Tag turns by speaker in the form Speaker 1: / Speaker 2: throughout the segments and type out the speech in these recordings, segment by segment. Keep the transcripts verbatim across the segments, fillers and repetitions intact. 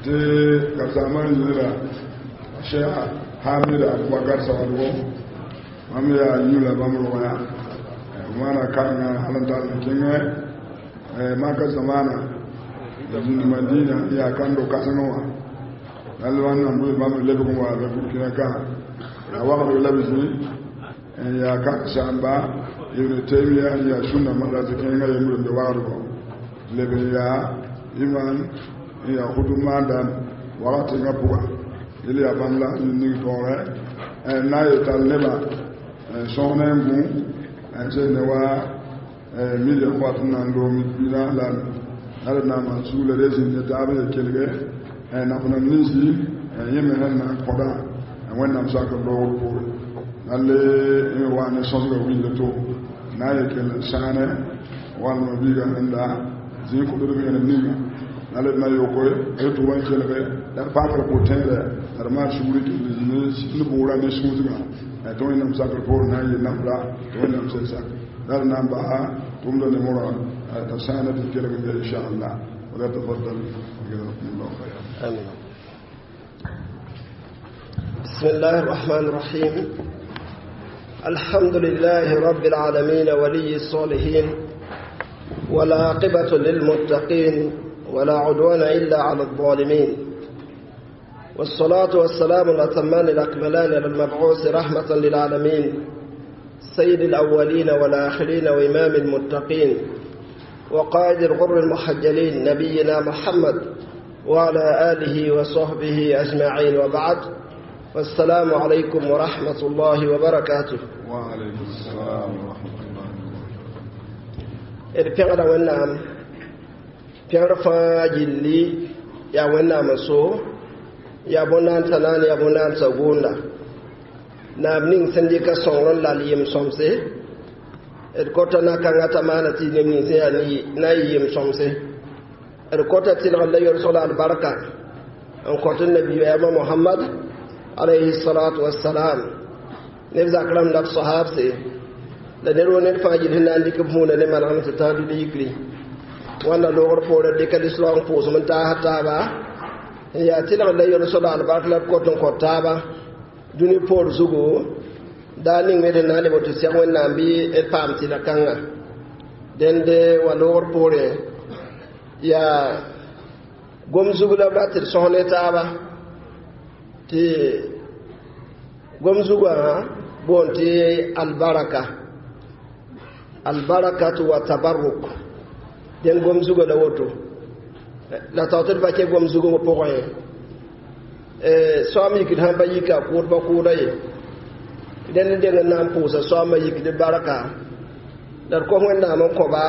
Speaker 1: Tɩ karsaamã yɩɩra Cheikh Hamid Abubakar Sawadogo bãmb yaa yũ la bãmb rogã maana kãngã hal n tar n kẽngɛ maka zamaana zĩnd Madina yaa kãndo kãsengẽ wã la wãnnaam bɩ bãmb lebg n wa be Burkina ka la wagdg la b zĩ n yaa karsaamba Ibn Taymiya n yaa sũnna madrasa kẽngã yembre n be wagdgɔ leb n yaa iman n yaa hudu maandam wakat tẽngã pʋga yel yaa bãmb la ning taoorɛ n na n yetall nebã sõs ne n gũ n sel ne wa million wat n na n loog mina la la d na n maan sugla d zĩnd ne taab n ye kelge naf-nam ninsi yẽ me sẽn na n kõda Wẽnnaam sakr loogr poore la le me wa ne sõsgã wilda to na n ye kell n sãane walma biiga rẽnda zĩig kõtd vẽenem ninga la d na yokoe d tʋg n kelge la d pakr pʋ-tẽedɛ la d maan sugr kell ne bʋʋra ne sũusgã tɩ Wẽnnaam sakr poore na n yɩ nafra tɩ Wẽnnaam sel sak la d na n baa tʋmda ne morã t'a sãana tɩ kelg n be inchallah. ولا تفضل جزاكم الله خيرا.
Speaker 2: آمين. بسم الله الرحمن الرحيم. الحمد لله رب العالمين، ولي الصالحين، والعاقبة للمتقين، ولا عدوان إلا على الظالمين، والصلاة والسلام الأتمان الأكملان على المبعوث رحمة للعالمين، سيد الأولين والآخرين، وإمام المتقين، وقائد الغر المحجلين، نبينا محمد وعلى آله وصحبه أجمعين، وبعد، والسلام عليكم ورحمة الله وبركاته.
Speaker 1: وعليكم السلام ورحمة الله.
Speaker 2: D pẽgda Wẽnnaam pẽgr fãa gilli yaa Wẽnnaam n so yaa bõn-naandsã naan yaa bõn-naandsã gʋʋnda naab ning sẽn dɩka sõngr n lal yem-sõmse d kota na-kãngã t'a maana tɩ neb nins yaa na n yɩ yem-sõmse d kota tɩlgr la yolsg la albarka n kõt nabiyaamã Mohamad alayhi salatu wassalam neb zak rãmb la b sahabse la ned wo ned fãa gill sẽn na n dɩk b vũuna ne manegem tɩ tãag dũni yikri wãnna loogr poorẽ dɩka lislaang pʋʋsem n taas taaba n yaa tɩlgr la yolsg la albark la d kot n kõt taaba dũni poor zugu daa ning me d na n leb tɩ sɛg Wẽnnaam bɩ d paam tɩla kãnga dẽnde wa loogr poorẽ yaa gom zug la b rat tɩ d sõs ne taaba tɩ gom zugã boon tɩ albaraka albarakatu wa tabarruk dẽn gom zugã la woto la tao tɩ d pa kẽ gom zugẽ pʋgẽ soaam yikd sãn pa yika kʋʋd pa kʋʋda ye dẽnd n deng n na n pʋʋsa soaamã yikd barka la d kos Wẽnnaam n kõba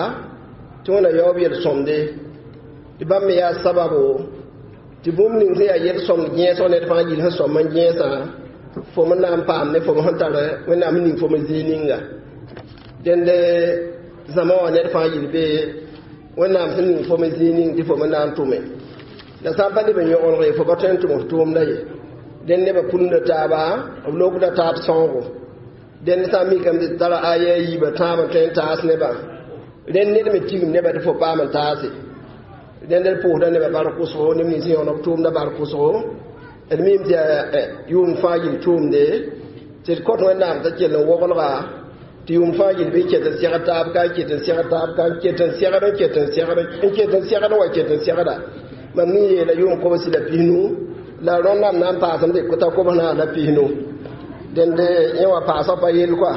Speaker 2: tɩ Wẽnna yaoob yel-sõmde tɩ bãmb me yaa sababo tɩ bũmb ning sẽn yaa yel-sõmd gẽesg ned fãa gill sẽn sõm n gẽesã fo me na n paam ne fo sẽn tar Wẽnnaam ning fo me zĩig ninga dẽnd zãma wã ned fãa gill be Wẽnnaam sẽn ning fo me zĩig ning tɩ fo me na n tʋme la sã n pa leb n yõgeneg fo pa tõe n tʋm f tʋʋmda ye dẽnd nebã pũnda taaba b lokda taab sõogo dẽnd sã n mikame tɩ tara aya a yiibã tãab n tõe n taas nebã rẽnd ned me tigim nebã tɩ fo paam n taase dẽnd d pʋʋsda nebã bark kʋsgo neb nins sẽn yõgen b tʋʋmda bark kʋsgo d miime tɩ yaa yʋʋm fãa gill tʋʋmde tɩ d kõt Wẽnnaam t'a kell n woglga tɩ yʋʋm fãa gill bɩ ket n segd taab ka n ket n segd taab ka n ket n segd n ket n segd n ket n segd wa ket n segda mam nin yeela yʋʋm kobsi la pisnu la rõndame na n paasem tɩ t'a kobs naag la pisnu dẽnd yẽ wã paasg pa yell koa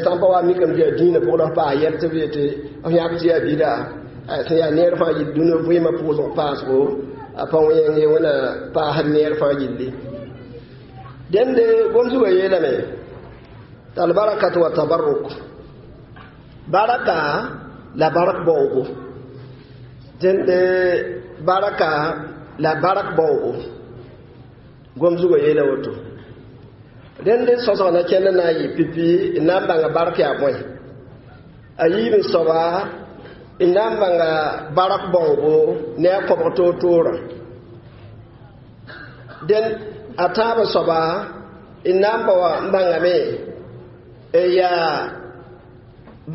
Speaker 2: sã n pa wa mikame tɩ yaa dĩinã pʋg la f paas yɛl tɩ b yetɩ f yãk tɩ yaa bida sẽn yaa neer fãa gill dũniyã vɩɩmã pʋʋsg paasgo a pa wẽng ye Wẽnna paasd neer fãa gilli dẽnde gom zugã yeelame tɩ albarakat wa tabarruk baraka la barak baoogo dẽnde baraka la barak baoogo gom zugã yeela woto rẽnd sõsg na kẽnd na n yɩ pipi n na n bãnga bark yaa bõe a yiib n soaba n na n bãnga barak baoogo ne a kõbg toor-toorã dẽn a tãab soaba n na n bao n bãngame yaa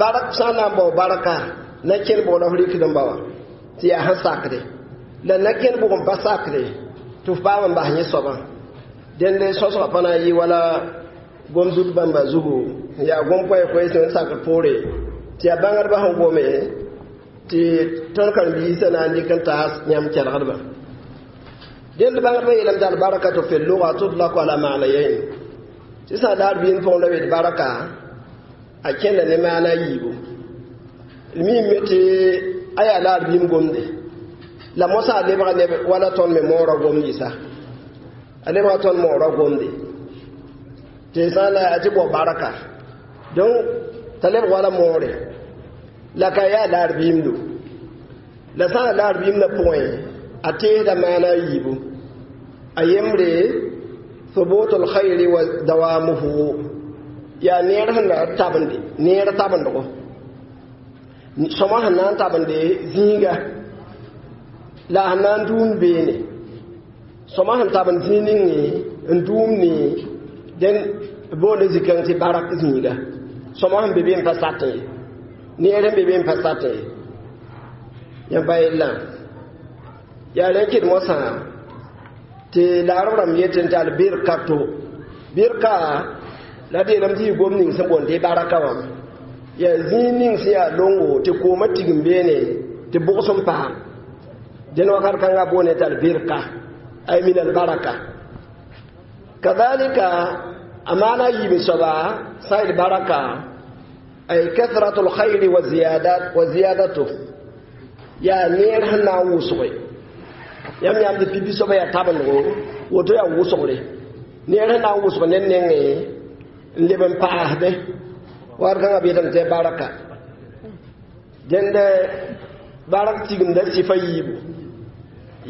Speaker 2: barak sã n na n bao barka. na kẽn bʋg la f rɩkd n ba wã tɩ yaa sẽn sakde la na kẽn bʋg n pa sakde tɩ f paam n bas yẽ soabã dẽnd sõsgã pa na n yɩ wala gom-zut bãmba zugu yaa gom-koɛɛ-koɛɛ sẽn sakd poore tɩ yaa bãngdbã sẽn gome tɩ tõnd karen-biisã na n dɩk n taas yãmb kelgdbã dẽnd bãngdbã yeelame tɩ albarakatu fi lugha tutlaku ala ma'nayayn tɩ sã n laar biin pʋgẽ la wet baraka a kẽnda ne maana a yiibu d miime tɩ a yaa laar biim gomde la mosã a lebga neb wala tõnd me moorã gomd yɩsa a lebga tõnd moorã gomde tɩ sã n la tɩ bao baraka donc t'a lebg wala moore la ka yaa laar biimdo la sã n laar biimdã pʋgẽ a teesda maana a yiibu a yembre ثبوت الخير ودوامه yaa neer sẽn na tabende neer tabendgo sõma sẽn na n tabende zĩiga la a sẽn na n dũum beene sõma sẽn tabend zĩig ninge n dũum ne dẽn boonde zĩ-kãng tɩ barak zĩiga sõma sẽn be be n pa satẽ ye neer sẽn be be n pa satẽ ye yãmb pa yellã yaa rẽ kɩd mosã tɩ laarb rãmb yetẽ tɩ albirkato birka la d yeelame tɩ yɩ gom ning sẽn boond tɩ baraka wã yaa zĩig ning sẽn yaa longo tɩ koomã tigim beene tɩ bʋgs n paam dẽn wakat kãngã boone tɩ albirka ay min albaraka kadhalika a maana yiib soaba sã n baraka ay kathratu lkhayri wa ziyadat wa ziyadatu yaa neer sẽn na n wʋsge yãmb yãmb tɩ pipi soaba yaa tabendgo woto yaa wʋsgre neer sẽn na n wʋsg ned nengẽ n leb n paasdẽ wakat kãngã b yetame tɩ baraka dẽnd barak tigimda sɩfa yiibu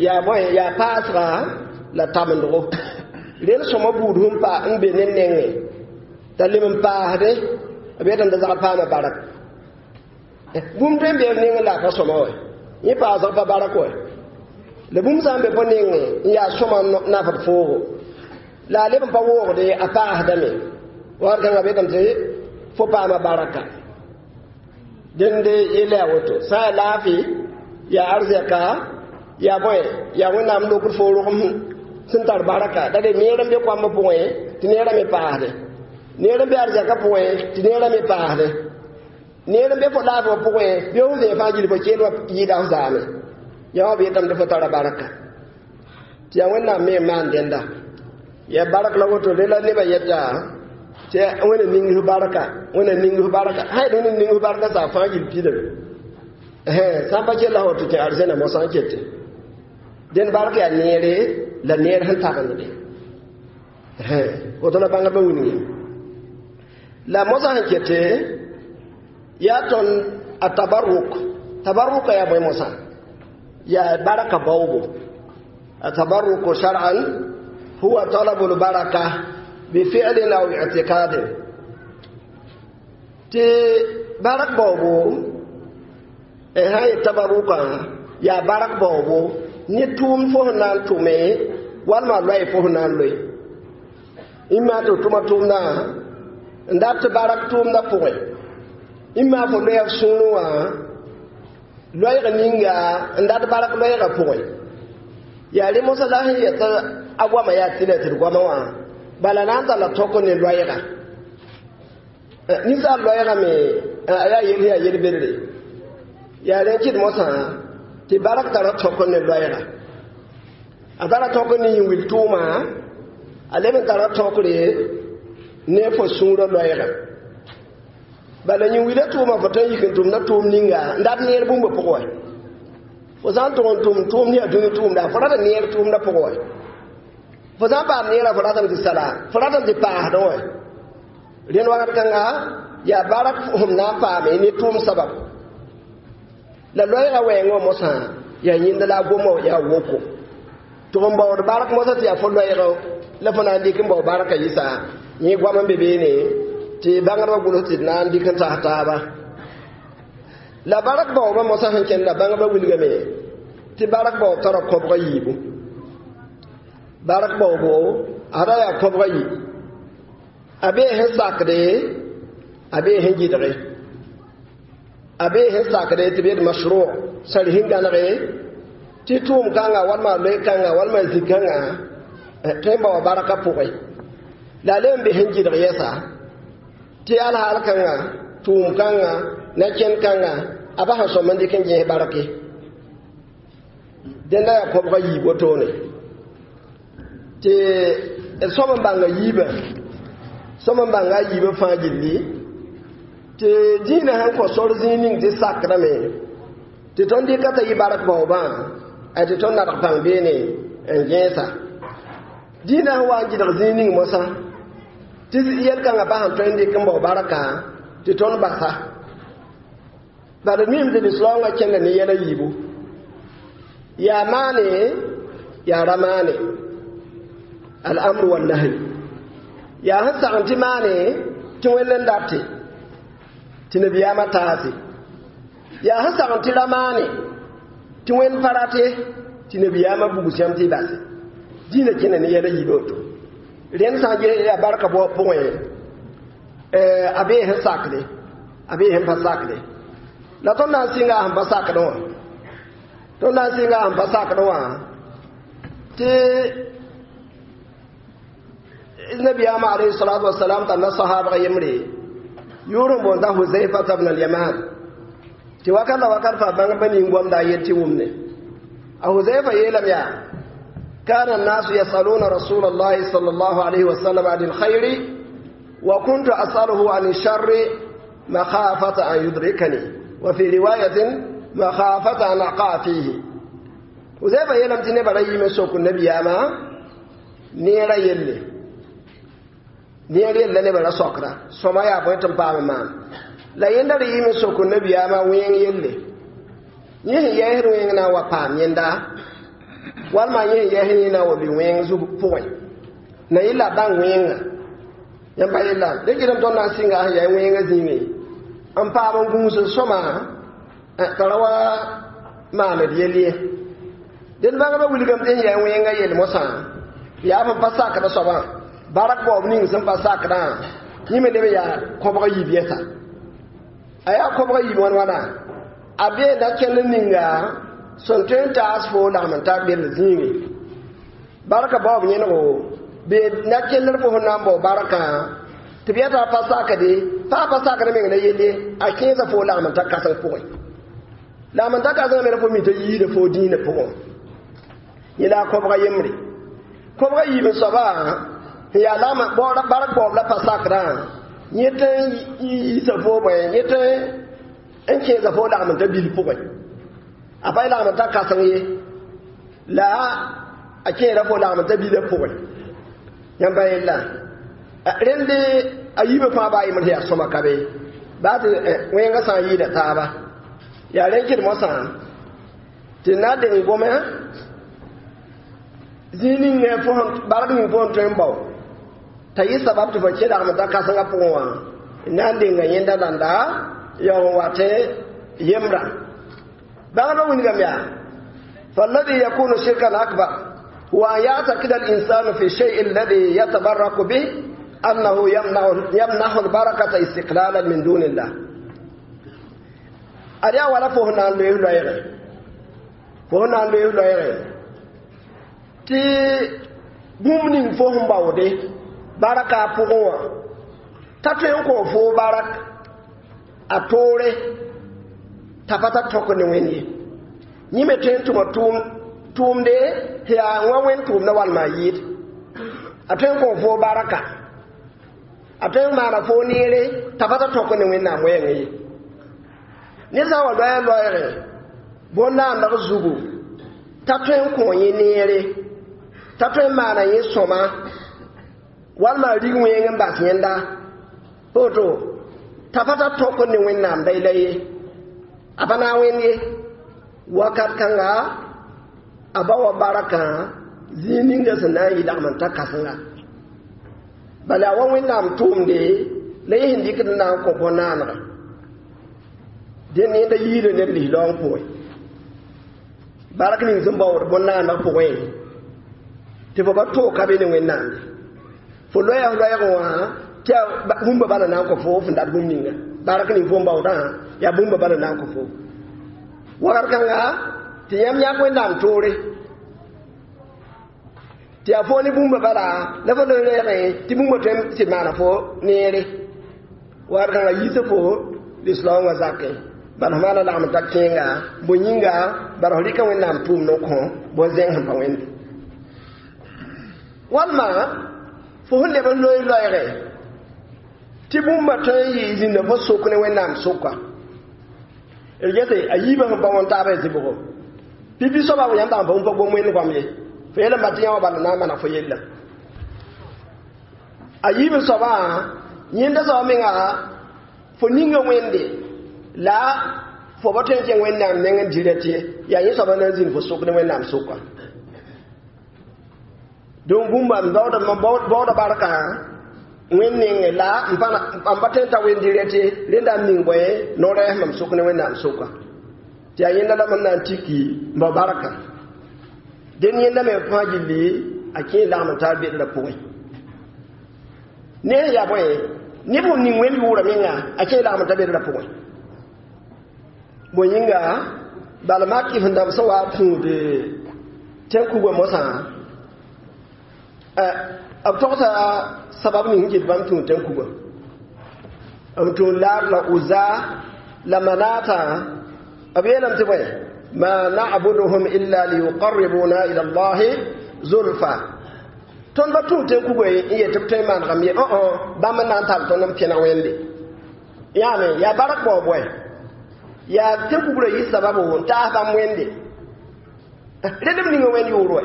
Speaker 2: yaa bõe yaa paasga la tabendgo rel sõma buud sẽn pa n be ned nengẽ t'a leb n paasdẽ b yetame t'a zagd paama barak bũmb tõe n bee f nengẽ la a pa sõma wɛ yẽ paasg pa barak wɛ la bũmb sã n be fo nengẽ n yaa sõma nafd foogo la a leb n pa woogde a paasdame wakat kãngã b yetame tɩ fo paama baraka dẽnd yella yaa woto sã n yaa laafɩ yaa arzɛka yaa bõe yaa wẽnnaam lokd fo rogem sẽn tar baraka la de neer n be koambã pʋgẽ tɩ neerã me paasde neer n be arzɛka pʋgẽ tɩ neerã me paasde neer n be fo laafɩ wã pʋgẽ bɩ f zẽe fãa gil fo keel wã yɩɩda f zaame yaa wã b yetame tɩ fo tara baraka tɩ yaa wẽnnaam me n maan dẽnda yaa barak la woto re la nebã yeta tɩ wẽna ning f baraka wẽna ning f baraka sã yet wẽna ning f baraka saa fãa gil pidame sã n pa kell la woto kẽ arzɛna mosã n kete dẽnd bark yaa neere la neer sẽn tabendde woto la bãngdbã wilgame la mosã sẽn kete yaa tõnd a tabarruk tabarruka yaa bõe mosã yaa baraka baoobo التبرك شرعا هو طلب البركة بفعل أو اعتقاد tɩ barak baoobo sã n yet tabaruka yaa barak baoobo ne tʋʋmd fo sẽn na n tʋme walma loɛɛ fo sẽn na n loe ĩmma tɩ f tʋma tʋʋmdã n dat tɩ barak tʋʋmdã pʋgẽ ĩmma fo loɛɛ f sũurẽ wã loɛɛg ninga n dat barak loɛɛgã pʋgẽ yaa rẽ mosã la sẽn yeta a goamã yaa tɩlɛ tɩ d goamã wã bala na n talla tõk ne loɛɛga ninsaal loɛɛga me a yaa yel yaa yel-bedre yaa rẽ kɩd mosã tɩ barak tara tõk ne loɛɛga a tara tõk ne yĩn-wil tʋʋma a leb n tara tõkre ne fo sũurã loɛɛga bala yĩn-wilã tʋʋma fo tõe n yik n tʋmda tʋʋm ninga n dat neer bũmba pʋgẽ wɛ fo sã n tʋg n tʋm tʋʋm ne yaa dũni tʋʋmda fo rata neer tʋʋmda pʋgẽ wɛ fo sã n paam neerã fo ratame tɩ sala fo ratame tɩ paasdẽ wɛ rẽnd wakat kãnga yaa barak sẽm na n paame ne tʋʋm sabab la loɛɛgã wɛɛngã mosã yaa yẽnda la a goma yaa woko tɩ f n baood barak mosã tɩ yaa fo loɛɛgã la fo na n dɩk n bao barka yɩsa yẽ goam n be beene tɩ bãngdbã gʋls tɩ d na n dɩk n tas taaba la barak baoobã mosã sẽn kẽnda bãngdbã wilgame tɩ barak baoob tara kõbga yiibu barak baoobo ada yaa kõbga yi a bee sẽn sakde a bee sẽn gɩdge A bee sẽn sakde tɩ b yet masro sar sẽn gãnege tɩ tʋʋm kãnga walma loe kãnga walma zĩ-kãngã tõe n bao barka pʋgẽ la a le n be sẽn gɩdg yɛsa tɩ alhaal kãnga tʋʋm kãnga na-kẽnd kãnga a ba sẽn sõm n dɩk n gẽes barke dẽnda yaa kõbga yiib wotone tɩ d sõm n bãnga yiibã sõm n bãnga a yiibã fãa gilli tɩ dĩinã sẽn kõ sor zĩig ning tɩ sakdame tɩ tõnd dɩka t'a yɩ bark baoobã a tɩ tõnd nadg pãng beene n gẽesa dĩinã sẽn wa n gɩdg zĩig ning mosã tɩ yɛl-kãngã pa sẽn tõe n dɩk n bao barka tɩ tõnd basa bala d mim tɩ lislaoongã kẽnda ne yɛl a yiibu yaa maane yaa ra maane al-amru wan-nahy yaa sẽn sagn tɩ maane tɩ wẽnd n date tɩ nabiyaamã taase yaa sẽn sagn tɩ ra maane tɩ wẽnd pa rate tɩ nabiyaamã bugs yãmb tɩ y base dĩinã kẽnda ne yɛl a yiib woto rẽnd sã n ges yaa barka pʋgẽ a bee sẽn sakde a bee sẽn pa sakde la tõnd na n sɩnga a sẽn pa sakdẽ wã tõnd na n sɩnga a sẽn pa sakdẽ wã tɩ nabiyaamã alayhi salatu wasalam talla sahabga yembre yʋʋr n boonda Huzaifata bn al-Yaman tɩ wakat la wakat fa bãng pa ning goamda a yet tɩ wʋmne a Huzaifa yeelame yaa كان الناس يسألون رسول الله صلى الله عليه وسلم عن الخير وكنت أسأله عن الشر مخافة أن يدركني وفي رواية مخافة أن أقع فيه Huzaifa yeelame tɩ nebã ra yiime sok nabiyaamã neerã yelle neer yella nebã ra sokra sõma yaa bõe tɩ n paam n maan la yẽnda ra yɩme sok nabiyaamã wẽng yelle yẽ sẽn yɛɛsd wẽng na n wa paam yẽnda walma yẽ sẽn yɛɛsd yẽ na n wa bɩ wẽng zug pʋgẽ na yɩla bãng wẽnga yãmb pa yella dẽ kɩdem tõnd na n sɩnga sẽn yaa wẽngã zĩigẽ n paam n gũus sõma t'a ra wa maaned yell ye dẽnd bãngba wilgame tɩ sẽn yaa wẽngã yell mosã yaa sẽn pa sakdã soabã barak baoob ning sẽn pa sakdã yẽ me leb yaa kõbg yiib yɛsa a yaa kõbg yiib wãn wãna a beenda kẽnd ninga sẽn tõe n taas fo lagm n tar bel zĩigẽ barka baoob yẽnego be na kellr fo sẽn na n bao barkã tɩ b yɛta a pa sakde pa a pa sakd meng la yelle a kẽesa fo lagm n ta kãseng pʋgẽ lagm n ta kãsengã me ra fo mi t'a yiida fo dĩinã pʋgẽ yẽ la a kõbga yembre kõbga yiib n soaba n yaa lagm bark baoob la pa sakdã yẽ tɩ n yiisa fo bõe yẽ tɩ n kẽesa fo lagm n ta bil pʋgẽ a pa lagm n ta kãseng ye la a kẽera fo lagm n ta bilã pʋgẽ yãmb pa yella rẽnd a yiibã fãa baa yembr yaa sõma ka be baa tɩ wẽngã sã n yɩɩda taaba yaa rẽn kɩd mosã tɩ na deng gome zĩig ning fo bark ning fo n tõe n bao t'a yɩ sabab tɩ fo kẽ lagm n ta kãsengã pʋgẽ wã na n denga yẽnda dãnda yaoog n wa tɩ yembrã bãngdbã wilgame yaa فالذي يكون شركا أكبر هو أن يعتقد الإنسان في الشيء الذي يتبرك به أنه يمنع يمنح البركة استقلالا من دون الله أريا ولا فهنا لوي لوي فهنا لوي لوي tɩ bũmb ning fo sẽn baoode barka a pʋgẽ wã t'a tõe n kõ fo barak a toore t'a pa tar tõk ne wẽnd ye yẽ me tõe n tʋma tʋʋmde yaa wã wẽnd tʋʋmdã walma a yɩɩd a tõe n kõ fo baraka a tõe n maana fo neere t'a pa tar tõk ne wẽnnaam wɛɛngẽ ye ned sã n wa loɛɛ loɛɛgẽ bõn-naandg zugu t'a tõe n kõ yẽ neere t'a tõe n maana yẽ sõma walma a rig wẽng n bas yẽnda woto t'a pa tar tõk ne wẽnnaam la ye a pa na n wẽnd ye wakat kãnga a ba wa barakã zĩig ninga sẽn na n yɩ lagm n ta kãsenga bala a wa wẽnnaam tʋʋmde la yẽ sẽn dɩkd n na n kõ bõn-naanega dẽnd yẽnda yiida neb lislaoong pʋgẽ bark ning sẽn baood bõn-naaneg pʋgẽ tɩ fo pa toog ka be ne wẽnnaamde fo loɛɛ f loɛɛgẽ wã tɩ bũmba bala na n kõ fo fõn dat bũmb ninga Barak ning fo n baoodã yaa bũmba bala na n kõ fo wakat kãnga tɩ yãmb yãk wẽnnaam toore tɩ yaa fo ne bũmba bala la fo le reegẽ tɩ bũmba tõe n sɩd maana fo neere wakat kãnga yiisa fo lislaoongã zakẽ bala f maana lagem n ta kẽenga bõe yĩnga bala f rɩka wẽnnaam tʋʋmd n kõ bõn-zẽng sẽn pa wẽnde walma fo sẽn leb n loe loɛɛgɛ tɩ bũmba tõe n yɩ zĩnda fo sok ne wẽnnaam soka d gese a yiibã sẽn pa wõn taabã y zɩbgo pipi soaba yãmb dag n pa wũm pa gom wẽnd goam ye fo yeelame ba tɩ yã wã bala na n maneg fo yella a yiib soabã yẽnda soaba menga fo ninga wẽnde la fo pa tõe n kẽng wẽnnaam neng n direct ye yaa yẽ soaba na n zĩnd fo sok ne wẽnnaam soka donc bũmba n baooda baooda barka wẽnd nengẽ la n pa tõe n ta wẽnd direct ye rẽnda n ning bõe no-rɛɛs mam sok ne wẽnnaam soka tɩ yaa yẽnda la mam na n tiki n bao barka dẽn yẽnda me fãa gilli a kẽ lagm n taar bedrã pʋgẽ ne yaa bõe neb sẽn ning wẽnd yʋʋra menga a kẽ lagm n ta bedrã pʋgẽ bõe yĩnga bala mak kɩf n dãmb sẽn wa tũud tẽn-kugã mosã b togsa sabab ning sẽn ket bãmb tũud tẽn-kugã b tũud laar la uza la manata b yeelame tɩ bõe ma na'buduhum illa liyuqarribuna ila allahi zulfa tõnd pa tũud tẽn-kugã n yet tɩ b tõe n manegame ye õ bãmb n na n tall tõnd n pẽneg wẽnde yaame yaa bark baoob wɛ yaa tẽn-kugrã yɩ sababo n taas bãmb wẽnde rẽnd b ninga wẽnd yʋʋr wɛ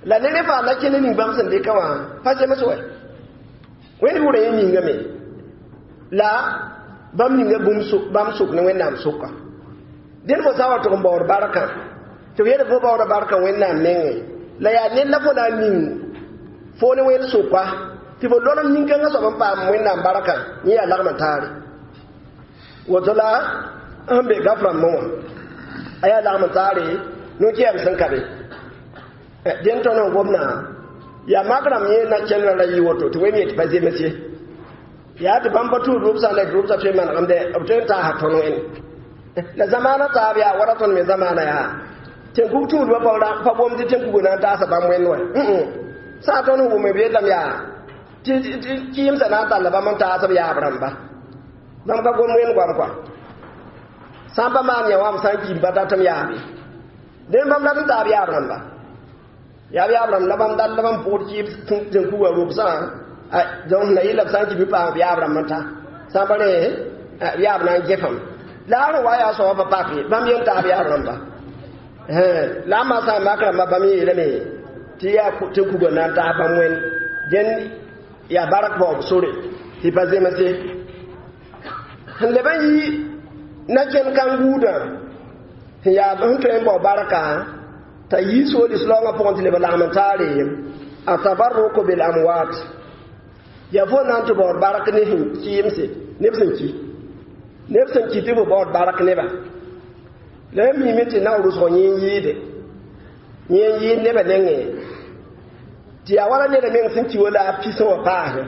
Speaker 2: la ne rẽ faa la kẽnd ning bãmb sẽn dɩka wã pa zems wɛ wẽnd yʋʋrã yẽ ningame la bãmb ninga bãmb sok ne wẽnnaam soka dẽnd fo sã n wa tʋg n baood barkã tɩ f yeel fo baooda barkã wẽnnaam nengẽ la yaa ned la fo na n ning fo ne wẽnd soka tɩ fo lolem nin-kãngã soab n paam wẽnnaam barkã yẽ yaa lagm n taare woto la sẽn be gaf rãmbẽ wã a yaa lagm n taare no-kɛɛm sẽn ka be dẽn tõnd n gomdã yaa mak rãmb yẽ na kẽndrã ra yɩ woto tɩ wẽnd yet pa zems ye yaa tɩ bãmb pa tuud rʋbsã la rʋbsã tõe n manegemde b tõe n taasa tõnd wẽnd la zamaana taab yaa wala tõnd me zamaana yaa tẽn-kug tuudbã pa gom tɩ tẽn-kugã na n taasa bãmb wẽnd wɛ sã n tõnd sẽn wʋme b yeelame yaa tɩ kɩɩmsã na n talla bãmb n taas b yaab rãmba bãmb ka gom wẽnd goam kɔa sã n pa maan yã wã b sã n kiim pa datem yaabe dẽn bãmb dat n taab yaab rãmba yaab yaab rãmb la bãmb dall la bãmb pʋgd kɩɩb tẽn-kugã rʋbsã donc na yɩla b sã n kɩ bɩ paam b yaab rãmb n ta sã n pa rẽ b yaab na n gefame la a rẽ wa yaa soaba pa pak ye bãmb yen taab yaab rãmba la a maa sã n mak rãmba bãmb yeelame tɩ yaa tẽn-kugã na n taas bãmb wẽnd dẽn yaa bark baoob sore tɩ pa zems ye sẽn leb n yi na kẽnd kãn-guudã sẽn yaa sẽn tõe n bao barka t'a yi sool-islaongã pʋgẽ tɩ leb n lagm n taare a tabarruku bil amwat yaa fo na n tɩ baood bark ne sẽn kɩɩmse neb sẽn ki neb sẽn ki tɩ fo baood bark neba la yã miime tɩ na rʋsg yẽ n yɩɩde yẽ n yɩɩd nebã nengẽ tɩ yaa wala neda meng sẽn ki wala a pisẽ wã paasẽ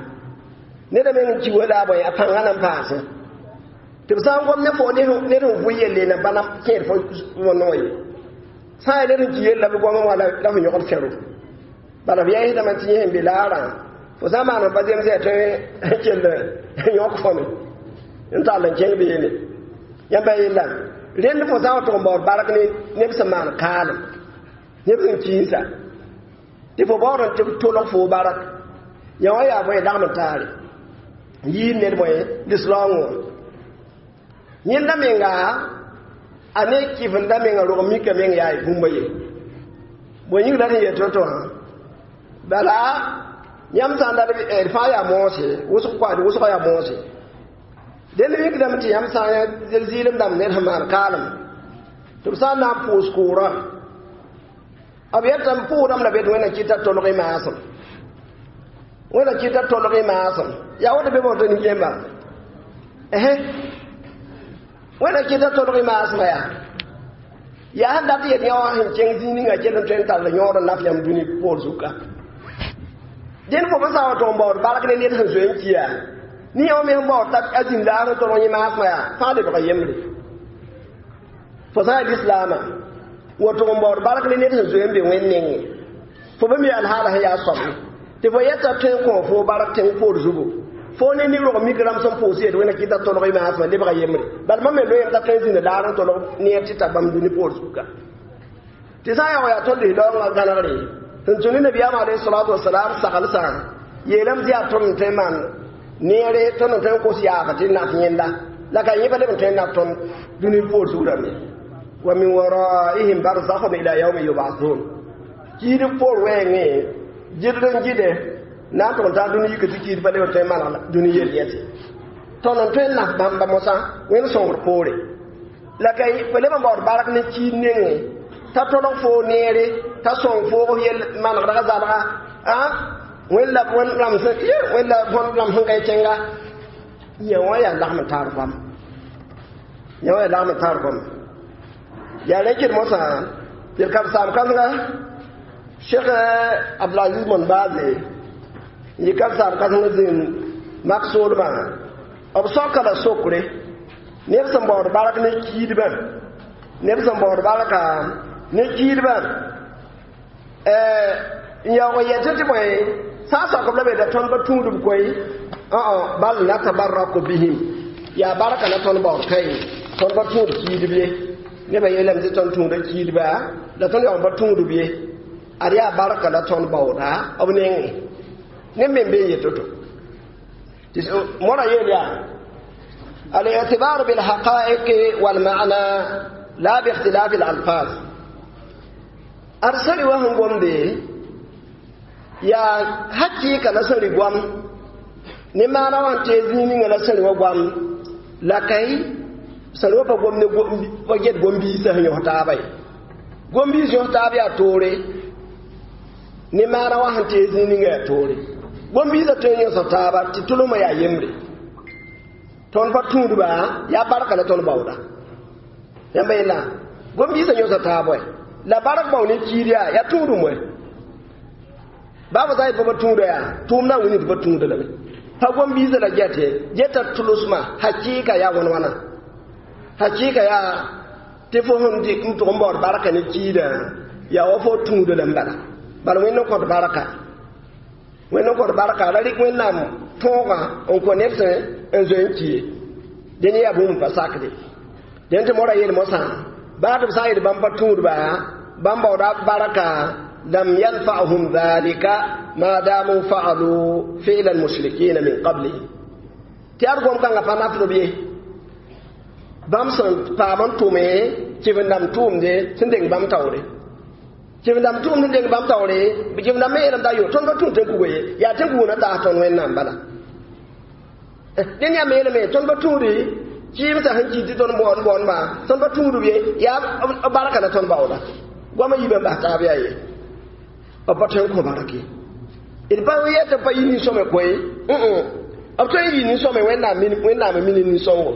Speaker 2: neda meng n ki wala a bõe a pãngã na n paasẽ tɩ b sã n gom ne fo ned sẽn vʋ yelle na bãna kẽed fo no ye sã n yaa ned sẽn ki yell la b goamã wã la fo yõgd fẽro bala b yɛɛsdame tɩ yẽ sẽn be laarã fo sã n maan n pa zems yaa tõe n kell yõk fõme n tall n kẽng beene yãmba yella rẽnd fo sã n wa tʋg n baood bark ne neb sẽn maan kaalem neb sẽn kiinsa tɩ fo baood n tɩ tolg fo bark yã wã yaa bõe lagm n taare yiid ned bõe lislaoongẽ wã yẽnda menga a ne kɩfenda menga rog mika meng yaa bũmba ye bõe yĩng la sẽn yet to-to wã bala yãmb sã n dat d fãa yaa moose wʋsg koa d wʋsga yaa moose dẽnd mikdame tɩ yãmb sã n ya zɩɩlem dãmb ned sẽn maan kaalem tɩ b sã n na n pʋʋs koorã b yetame pʋʋdame la be tɩ wẽnna kɩta tolg y maasem wẽnna kɩta tolg y maasem yaa woto be woto nin-kẽemba ɛhẽ wẽnna kɩta tolg y maasmã yaa yaa sẽn dat yet yã wã sẽn kẽng zĩig ninga kell n tõe n tall yõod n naf yãmb dũni poor zuka dẽnd fo sã n wa tʋg n baood bark ne ned sẽn zoe n ki yaa Ni yã me sẽn baood t'a a zĩnd laag n tolg yẽ maasmã yaa fãa lebga yembre. Fo sã n yaa lislaamã woto n baood bark ne ned sẽn zoe n be wẽnd nengẽ fo pa mi alhaala sẽn yaa soab ye tɩ fo yɛta tõe n kõ fo bark tẽng poor zugu fo ne ni rog mik rãmb sẽn pʋʋs yet wẽnna kɩta tolg y maasmã lebga yembre bala mam me loeem t'a tõe n zĩnd laag n tolg neer tɩ ta bãmb dũni poor zuga tɩ sã n yaa wa yaa tõnd lislaoongã gãnegre sẽn tũ ne nabiyaam alayhi salatu wasalam saglsã yeelame tɩ yaa tõnd n tõe n maan neere tõnd n tõe n kos yaag tɩ naf yẽnda la ka yẽ pa leb n tõe n naf tõnd dũni poor zug rãmbe wa min waraihim barzakhun ila yawmi yub'athun kiidb poor wɛɛngẽ gɩdr n gɩde na n tʋg n taa dũni yik tɩ kiid pa leb n tõe n maneg dũni yel yɛse tõnd n tõe n naf bãmba mosã wẽnd sõngr poore la ka pa leb n baood bark ne kiid nengẽ t'a tolg foo neere t'a sõng foog yel manegdga zalga a wẽnd la wẽnd rãmb sẽn wẽnd la bõn rãmb sẽn ka y kẽnga yã wã yaa lagm n taar goam yã wã yaa lagm n taar goam yaa rẽ kɩd mosã tɩ d karen-saam kãsenga Cheikh Abdulaziz Mon Baze n yɩ karen-saam kãseng zĩnd mak soolmã b soaka la sokre neb sẽn baood bark ne kiidbã neb sẽn baood barka ne kiidbã n yaoog n yɛtẽ tɩ bõe sã n sok b la be da tõnd pa tũudb koe bal natabarraku bihim yaa barka la tõnd baood kae tõnd pa tũud kiidb ye nebã yeelame tɩ tõnd tũuda kiidba la tõnd yaoog n pa tũudb ye ad yaa barka la tõnd baooda b nengẽ neb me n be n yet to mora yeel yaa الاعتبار بالحقائق والمعنى لا باختلاف الألفاظ ad sẽn wa sẽn gomde yaa hakɩɩka la sẽn rɩ goam ne maana wã n tee zĩig ninga la sẽn rɩ wa goam la ka sẽn rɩ wa pa gom ne pa get gom-biisã sẽn yõs taaba ye gom-biis yõs taab yaa toore ne maana wã sẽn tee zĩig ninga yaa toore gom-biisã tõe n yõsa taaba tɩ tʋlmã yaa yembre tõnd pa tũudba yaa barka la tõnd baooda yãmba yella gom-biisã yõsa taab wɛ la bark bao ne kiid yaa yaa tũudum wɛ baa sã n yet pa tũuda yaa tʋʋmdã wĩni tɩ pa tũuda lame pa gom-biisã la gɛte geta tʋlsmã hakɩɩka yaa wãn wãna hakɩɩka yaa tɩ fo sẽn dɩk n tʋg n baood barka ne kiidã yaa wa fo tũuda lame bala bala wẽnd n kõt barka wẽnd n kõt barka ra rɩk wẽnnaam tõogã n kõ neb sẽn n zoe n ki ye dẽn yaa bũmb n pa sakde dẽn tɩ mora yeel mosã baa tɩ b sã n yet bãmb pa tũudba bãmb baooda barka lam yanfa'hum dhalika ma damu fa'alu fi'la al-mushrikina min qablihim tɩ ad gom kãngã pa nafd b ye bãmb sẽn paam n tʋme kɩf-n-dãmb tʋʋmde sẽn deng bãmb taoore kɩf-n-dãmb tʋʋmd sẽn deng bãmb taoore kɩf-n-dãmb me yeelame t'a yo tõnd pa tũud tẽn-kugo ye yaa tẽn-kugo na taas tõnd wẽnnaam bala dẽn yaa me yeelame tõnd pa tũudi kɩɩmsã sẽn kɩ tɩ tõnd baood baoodbã tõnd pa tũudb ye yaa b barka la tõnd baooda goamã yiibã n bas taab yaa ye b pa tõe n kõ bark ye d pa yɛ tɩ b pa yɩ nin-sõme koe b tõe n yɩ nin-sõme wẽnnaam n mini nin-sõngo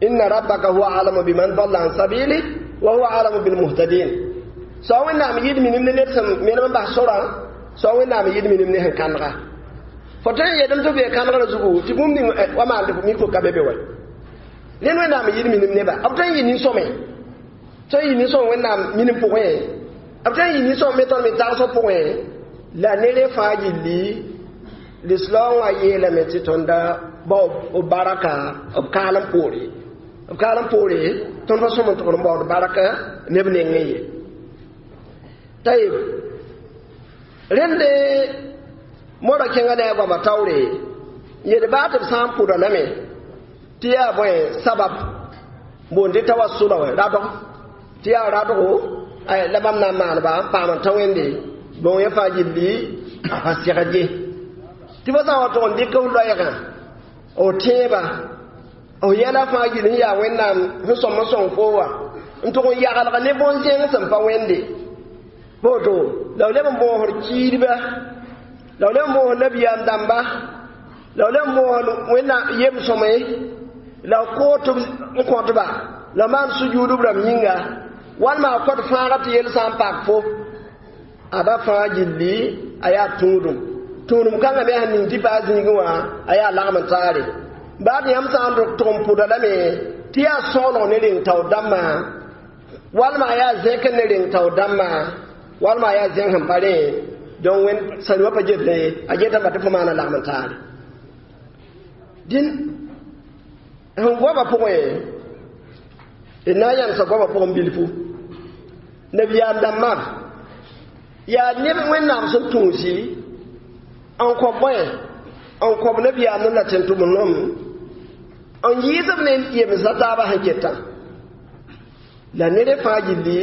Speaker 2: inna rabbaka huwa alamu biman dalla an sabili wa huwa alamu bilmuhtadin soa wẽnnaam yɩd minim ne ned sẽn menem n bas sorã soa wẽnnaam yɩd minim ne sẽn kãnega fo tõe n yeelame tɩ b bee kãnegrã zugu tɩ bũmb ning wa maan tɩ mik fo ka be be wa rẽnd wẽnnaam yɩd minim neba b tõe n yɩ nin-sõme tõe n yɩ nin-sõm wẽnnaam minim pʋgẽ b tõe n yɩ nin-sõm me tõnd me tagsg pʋgẽ la nere fãa gilli lislaoongã yeelame tɩ tõnda bao b baraka b kaalem poore b kaalem poore tõnd pa sõm n tʋgd n baood baraka neb nengẽ ye tayib rẽnde mora kẽngã ne a goama taoore yel baa tɩ b sã n pʋda lame tɩ yaa bõe sabab boond tɩ tawassula wã radg tɩ yaa radgo la bãmb na n maaneba n paam n tã wẽnde bõn yẽ fãa gilli a pa segd ye tɩ fo sã n wa tʋg n dɩk f loɛɛgã f tẽebã f yɛla fãa gill sẽn yaa wẽnnaam sẽn sõm n sõng foo wã n tʋg n yagelg ne bõn-zẽng sẽn pa wẽnde boto la b leb n boosd kiidba la b leb n boosd nabiyaam dãmba la b leb n boosd wẽnnaam yem-sõme la b koot n kõtba la maan sujuudb rãmb yĩnga walma a kõt fãaga tɩ yel sã n pak fo ada fãa gilli a yaa tũudum Tũudum kãngã me sẽn ning tɩ paa zĩigẽ wã a yaa lagm n taare baad yãmb sã n tʋg n pʋda lame tɩ yaa sõgeneg ne reng taoor dãmbã walma a yaa zẽk ne reng taoor dãmbã walma a yaa zẽng sẽn pa rẽ donc wẽnd sãrɩ wã pa get ye a getame tɩ fo maana lagm n taare dĩn sẽn goamã pʋgẽ d na n yãmsa goamã pʋgẽ bilfu nabiyaam dãmbã yaa neb wẽnnaam sẽn tũusi n kõ bõe n kõb nabiyaam ne la tẽn-tʋmd-nom n yɩɩsb ne yemsã taabã sẽn ketã la ned fãa gilli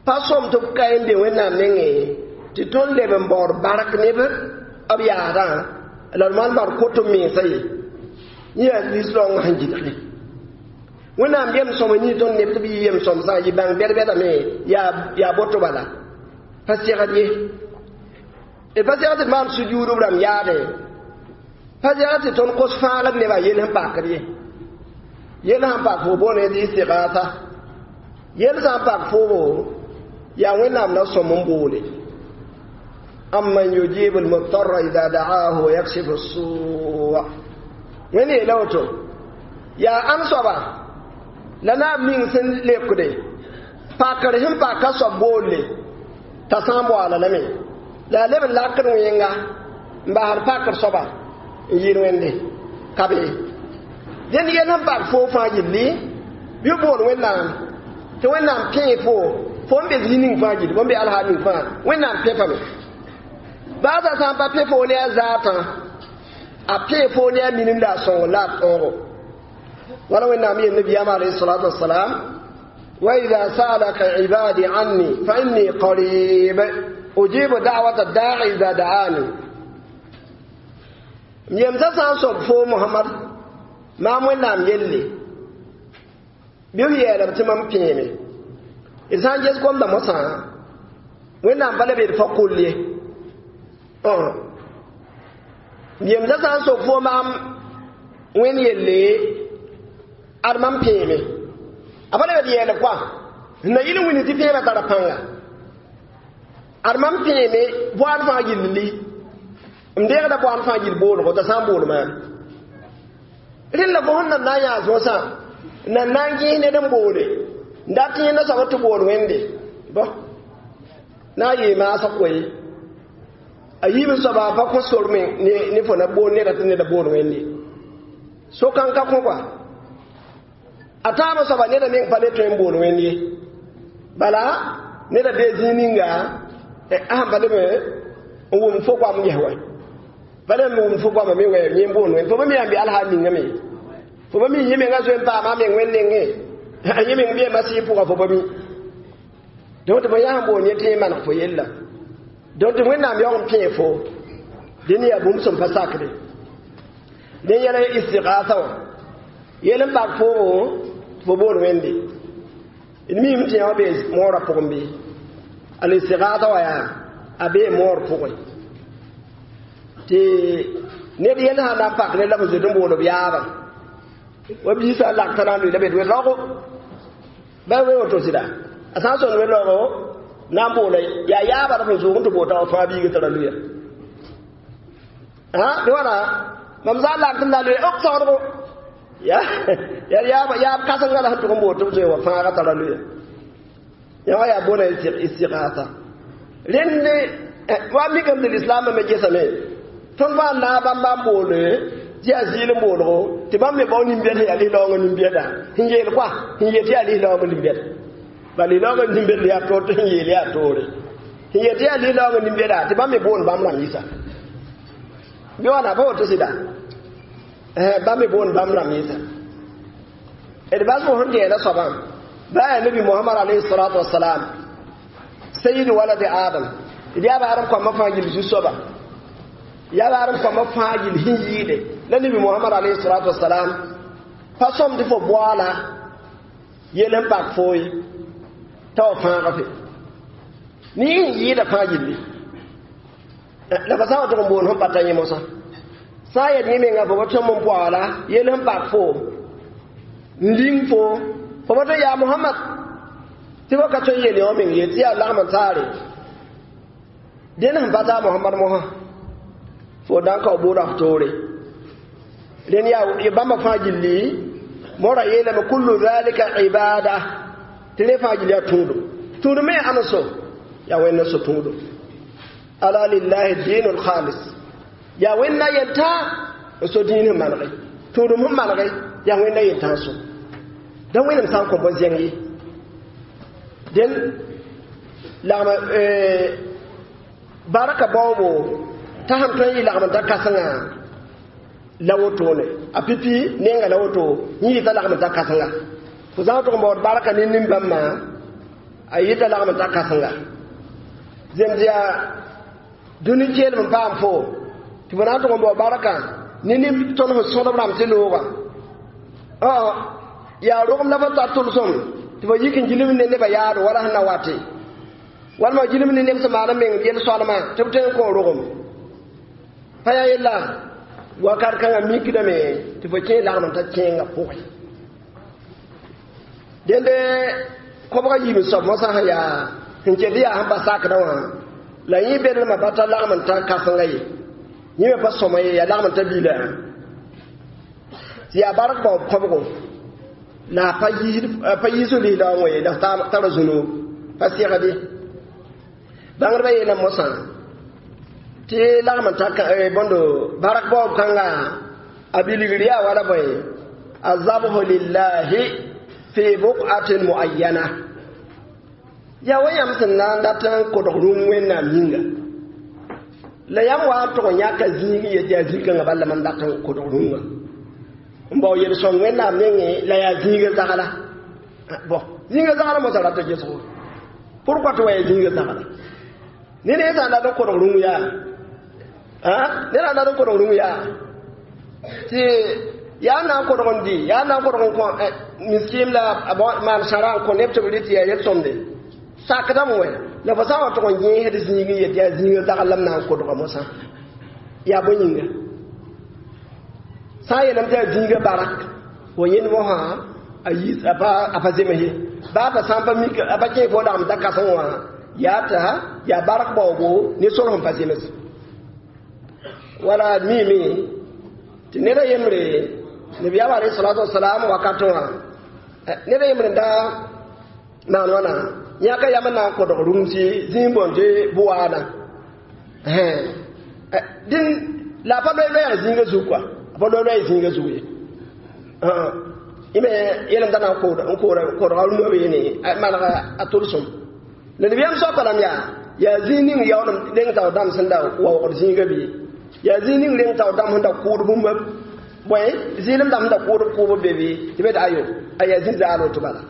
Speaker 2: pa sõm tɩ b ka n be wẽnnaam nengẽ tɩ tõnd leb n baood bark neb b yaadã la d maan bar kot n mensã ye yẽ yaa lislaoongã sẽn gɩdge wẽnnaam yem sõm n yĩ tõnd neb tɩ b yɩ yem sõmsã yɩ bãng bɛd-bɛdame yaa boto bala pa segd ye d pa segd tɩ d maan sujuudb rãmb yaadẽ pa segd tɩ tõnd kos fãagd nebã yel sẽn pakd ye yel sãn pak fo boone tɩ istigasa yel sã n pak foobo yaa wẽnnaam la sõm n boole amman yujibu almutarra ida daahu wa yakshifu sua wẽnd yeela woto yaa ãn soaba la naab ning sẽn lekde pakr sẽn pak a soab boolle t'a sã n boaala lame la a leb n lakd wẽnga n basd pakr soaba n yɩɩd wẽnde ka be dẽnd yel sẽn pak foo fãa gilli bɩ bool wẽnnaam tɩ wẽnnaam pẽe fo fo n be zĩ ning fãa gilli fo n be alhaal ning fãa wẽnnaam pẽpame baasa sã n pa pẽ foo ne a zaatã a pẽe foo ne a minim la a sõng la a tõogo wala wẽnnaam yel nabiyaam alayhi salatu wasalam وإذا سألك عبادي عني فإني قريب أجيب دعوة الداعي إذا دعاني yemsa sã n soab foo Mohamad maam wẽnnaam yelle bɩ f yeelame tɩ mam pẽeme d sã n ges gomda mosã wẽnnaam pa la be d fa kol ye yemsa sã n sok foo maam wẽnd yelle ad mam pẽeme a pa la be d yeelb koa na yɩl n wilg tɩ pẽemã tara pãnga ad mam pẽeme boad fãa gilli m deegda boan fãa gill boolgo t'a sã n bool maam rẽnd la fo sẽn nan na n yaas mosã nan na n gẽes ned n boole n dat yẽnda soab tɩ bool wẽnde bõ na n yee maasg koe a yiib n soaba pa kõ sor me ne fo na bool neda tɩ neda bool wẽnde so-kãng ka kõ koa a tãabã soaba neda meng pa le tõe n bool wẽnd ye bala neda bee zĩig ninga a sẽn pa leb n wʋm fo goam ges wa pa leb n wʋm fo goamã me wɛ yẽ n bool wẽnd fo pa mi yaa n be alhaal ningame fo pa mi yẽ menga zoe n paama a meng wẽnd nengẽ a yẽ meng beema sɩɩ pʋga fo pa mi donc tɩ fo yaa sẽn bool yẽ tɩ yẽ maneg fo yella donc tɩ wẽnnaam yaoog n pẽe fo dẽnd yaa bũmb sẽn pa sakde dẽ yɛla istigasa wã yel n pak foogo tɩ fo bool wẽnde d miime tɩ yã bee moorã pʋgẽ bɩ al istigasa wã yaa a bee moor pʋgẽ tɩ ned yel sã na n pak ne la f zoet n bool b yaabã wa biisã lak t'a na n lʋɩ la bed we-raoogo ba we woto sɩda a sã n sõnd we-raoogo na n boola yaa yaabã la f n zoog n tɩ boota wa fãa biigã tara luya bɩ wãna mam sã n lak tɩ m na n lʋɩ ok saoodgo ya ya yaab kãsenga la sẽn tʋg n bool tɩ b zoe wa fãaga tara luya yã wã yaa boona istigasa rẽnd wa mikame tɩ lislaambã me gesame tõnd fãa naag bãmba n boole tɩ yaa zɩɩl n boolgo tɩ bãmb me bao nin-bɛd sẽn yaa lislaoongã nin-bɛda sẽn yeel koa sẽn yet tɩ yaa lislaoongã nin-bɛd ba lislaoongã nin-bɛd yaa toor tɩ sẽn yeel yaa toore sẽn yet tɩ yaa lislaoongã nin-bɛda tɩ bãmb me boond bãmb rãmb yɩsa bɩ wãna pa woto sɩda bãmb me boond bãmb rãmb yɩsa d bas fo sẽn dɛɛda soabã ba yaa nabi Mohamad alayhi salatu wasalam sayid waladi Adam d yaa ba Adam koambã fãa gill zu-soaba yaa ba Adam koambã fãa gill sẽn yɩɩde la nabi Mohamad alayhi salatu wasalam pa sõm tɩ fo boaala yel n pak foo ye t'a wa fãaga fe ne sẽn yɩɩda fãa gilli la fa sã n wa tʋg n boond sẽn pa ta yẽ mosã sã n yet yẽ menga fo pa tõm n poaala yel sẽn pak foo n ling fo fo pa tõe yaa Mohamad tɩ fo ka tõe n yel yã wã meng ye tɩ yaa lagm n taare dẽnd sẽn pa taa Mohamad mosã Fo dan ka bʋʋda f toore rẽnd yaa bãmba fãa gilli mora yeelame kullu dhalika ibada tɩ rẽ fãa gilli yaa tũudum tũudum me yaa ãn so yaa wẽnd so tũudum ala lillahi dinul khalis yaa wẽnna yeltã n so dĩin sẽn manege tũudum sẽn manege yaa wẽnna yeltã so da wẽnem sã n kõ bõn-zẽng ye dẽn lagma baraka baoobo t'a sẽn tõe n yɩ lagm n ta kãsenga la wotone a pipi nenga la woto yẽ yɩta lagm n ta kãsenga fo zãg tʋg n baood barka ne nin-bãmbã a yɩta lagm n ta kãsenga zems yaa dũni keelem n paam fo tɩ fo na n tʋg n bao barka ne nin tõnd sẽn sõdb rãmb tɩ looga yaa rogem la fo tar tʋlsem tɩ fo yik n gilm ne nebã yaado wala sẽn na wate walma gilm ne neb sẽn maan n meng yel-soalmã tɩ b tõe n kõ rogem pa yaa yella wakat kãngã mikdame tɩ fo kẽ lagm n ta kẽengã pʋgẽ dẽnde kobga yiib soab mosã sẽn yaa sẽn ket yaa sẽn pa sakdã wã la yẽ bedlmã pa ta lagm n ta kãsenga ye yẽ me pa sõma ye yaa lagm n ta bila tɩ yaa bark baoob kobgo la a pa yiis lisla wã ye la tara zũnug pa segde bãngdbã yeelame mosã tɩ lagm n ta bõndo bark baoob kãnga a bilgr yaa wala bõe azabhu lillahi fi buqatin muayyana yaa wa yãmb sẽn na n dat n kodg rũm wẽnnaam yĩnga la yãmb wa n tʋg n yãka zĩig n yet yaa zĩ-kãngã bala mam dat n kodg rũngã n bao yel-sõng wẽnnaam nengẽ la yaa zĩiga zagla bõ zĩiga zagla mosã rata gesgo pourquoi tɩ wa yaa zĩiga zagla ne ne sã n dat n kodg rũng yaa ned sã n dat n kodg rũng yaa tɩ yaa na n kodg n dɩ yaa na n kodg n kõ miskim la maan sãra n kõ neb tɩ b rɩt tɩ yaa yel-sõmde sakdame wɛ la fo sã n wa tʋg n yẽesd zĩig n yet yaa zĩiga zagl la m na n kodga mosã yaa bõe yĩnga sã n yeelame tɩ yaa zĩiga barak fo yẽnd mosã a yiis a pa zems ye baa pa sã n pa mik a pa kẽ fo lagm ta kãseng wã yaa t'a yaa bark baoobo ne sor sẽn pa zems wala miime tɩ ned a yembre nabiyaam alayhi salatu wasalam wakatẽ wã ned a yembre n da maan wãna yãka yam n na n kodg rũmsi zĩig boond tɩ bʋwaana dĩn la a pa loe-loɛɛg zĩiga zug kɔa a pa loe-loɛɛg zĩiga zug ye yẽ me yelem da na n kodga rũmã beene manega a tʋlsem la nabiyaam soapa lame yaa yaa zĩig ning yaoolem reng taoor dãmb sẽn da waoogd zĩiga bɩ yaa zĩig ning reng taoor dãmb sẽn da kʋʋd bũmba bõe zɩɩlem dãmb sẽn da kʋʋd b kʋʋb be bɩ tɩ be d ayo a yaa zĩ zaal woto bala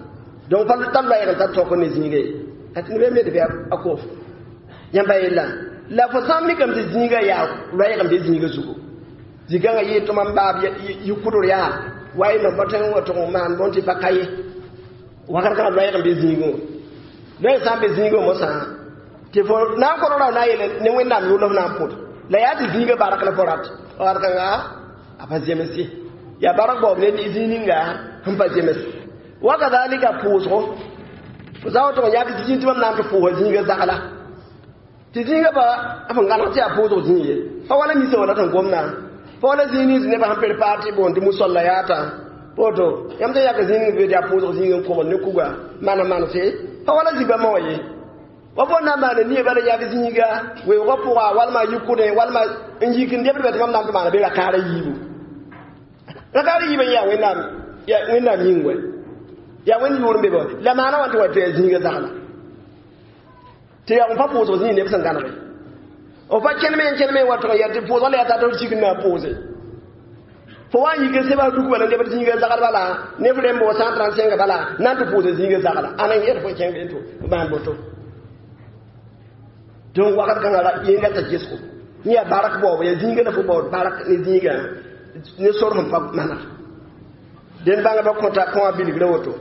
Speaker 2: donc pa tar loɛɛg n tar tõk ne zĩiga ye tɩ neb me d bɩ a kof yãmba yella la fo sã n mikame tɩ zĩiga yaa loɛɛg n be zĩiga zugu zĩ-kãngã yɩɩ tʋma n baab yikʋdr yaa wa y no pa tõe n wa tʋg n maan bõn tɩ pa ka ye wakat kãngã loɛɛg n be zĩigẽ wã loɛɛg sã n be zĩigẽ mosã tɩ fo na n kodg ra na n yeele ne wẽnnaam yʋʋl f na n pʋd la yaa tɩ zĩiga bark la fo rat wakat kãnga a pa zems ye yaa bark baoob ne zĩig ninga sẽn pa zems wakadhalika pʋʋsgo fo sã n wa tʋg n yãk zĩig tɩ mam na n tɩ pʋʋsa zĩiga zagla tɩ zĩiga pa f n gãneg tɩ yaa pʋʋsg zĩig ye pa wala misa wala tɩ n gomdã pa wala zĩig nins nebã sẽn prepaar tɩ boond tɩ musalla yaata woto yãmb tɩ yãka zĩig ning be tɩ yaa pʋʋsg zĩig n kogl ne kuga maan manse pa wala zĩ-bãmbã wã ye wa fo na n maana nie bala yag zĩiga weoogã pʋga walma yikʋdẽ walma n yik n debd bɛ tɩ mam na n tɩ maana be rakaara yiibu rakaara yiibã yaa wẽnnaam wẽnnaam yĩng wɛ yaa wẽnd yʋʋr n be bɔ la maana wã tɩ wa tɩ yaa zĩiga zagla tɩ yaa n pa pʋʋsg zĩig neb sẽn gãnege f pa kẽneme n kẽneme wa tʋg n yaa tɩ pʋʋsga la yaa tata f sik n na n pʋʋse fo wa n yik n seba duk bala nebd zĩiga zagl bala neb rẽmb wa sã n trãn sẽnga bala na n tɩ pʋʋsa zĩiga zagla ãna n yɛd fo kẽng be tɩ maan boto donc wakat kãngã yẽnga t'a gesgo yẽ yaa bark baoob yaa zĩiga la fo baood bark ne zĩigã ne sor sẽn pa maneg dẽnd bãngdbã kõta kõa bilgrã woto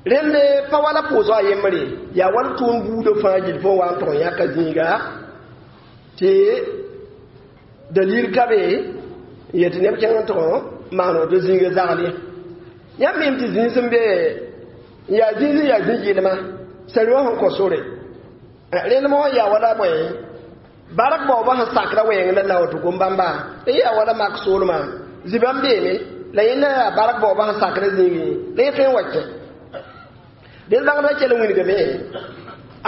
Speaker 2: rẽnd pa wala pʋʋsg a yembre yaa wala tʋʋm buudã fãa gill fo wa n tʋg n yãka zĩiga tɩ dalil ka be n yet neb kẽng n tʋg n maan woto zĩiga zagl ye yãmb mim tɩ zĩig sẽn be n yaa zĩig sẽn yaa zĩ-gɩlma sar wã sẽn kõ sore Rẽnd mo yaa wala bõe bark baooba sẽn sakra wɛɛng la la woto gom-bãmba la yaa wala mak soolmã zibãmb beeme la yẽnda yaa bark baooba sẽn sakra zĩigẽ la yẽ tõe n wa kẽ dẽn bãngdbã kell n wilgame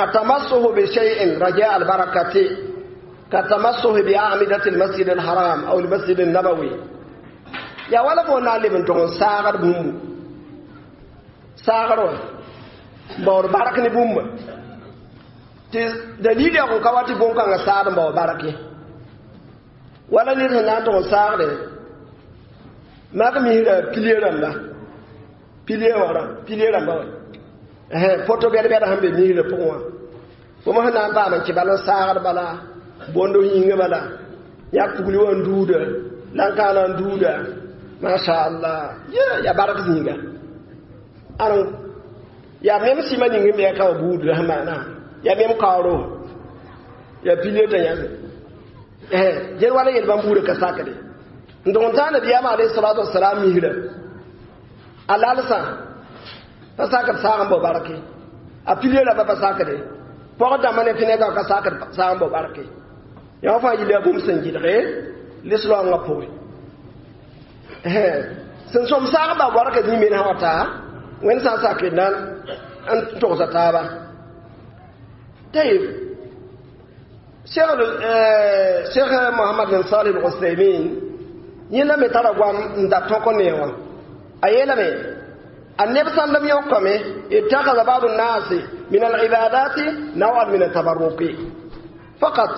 Speaker 2: atamassuhu bi shay'in raja albarakati ka tamassuhi bi a'midati almasjid alharam aw almasjid alnabawi yaa wala fo na n leb n tog n saagd bũmbu saagr wã n baood bark ne bũmba tɩ dalil yaa n ka wa tɩ bõn-kãngã saad n bao bark ye wala ned sẽn na n tog n saagde mak misra pilie rãmba pilie wã rã pilie rãmba wã poto bɛd-bɛd sẽn be misrã pʋgẽ wã fo sẽn na n paam n kɩ bal n saagd bala bondo yĩnga bala yãk pugli wã n duuda lan-kãana n duuda masha allah ya bark zĩiga ãn yaa mem sɩma ning n be ka wa buud la sẽn maana ya mem kaooro ya pilie t'a yãse gel wala yel bãmb buudã ka sakde n tʋg n taa nabiyaamã alayhi salatu wasalam misra a lalsã pa sakd saag n bao barke a pilie rãmba pa sakde pɔg dãmbã ne fẽnegã ka sakd saag n bao barke yã fãa yilla bũmb sẽn gɩdge lislaoongã pʋgẽ sẽn sõm saag n bao barka zĩ men sã wa taa wẽnd sã n sak n na n togsa taaba طيب شيخ شيخ محمد بن صالح العثيمين yẽ la me tara goam n da tõk ne wã a yeelame a neb sãndem yõkame اتخذ بعض الناس من العبادات نوعا من التبرك فقط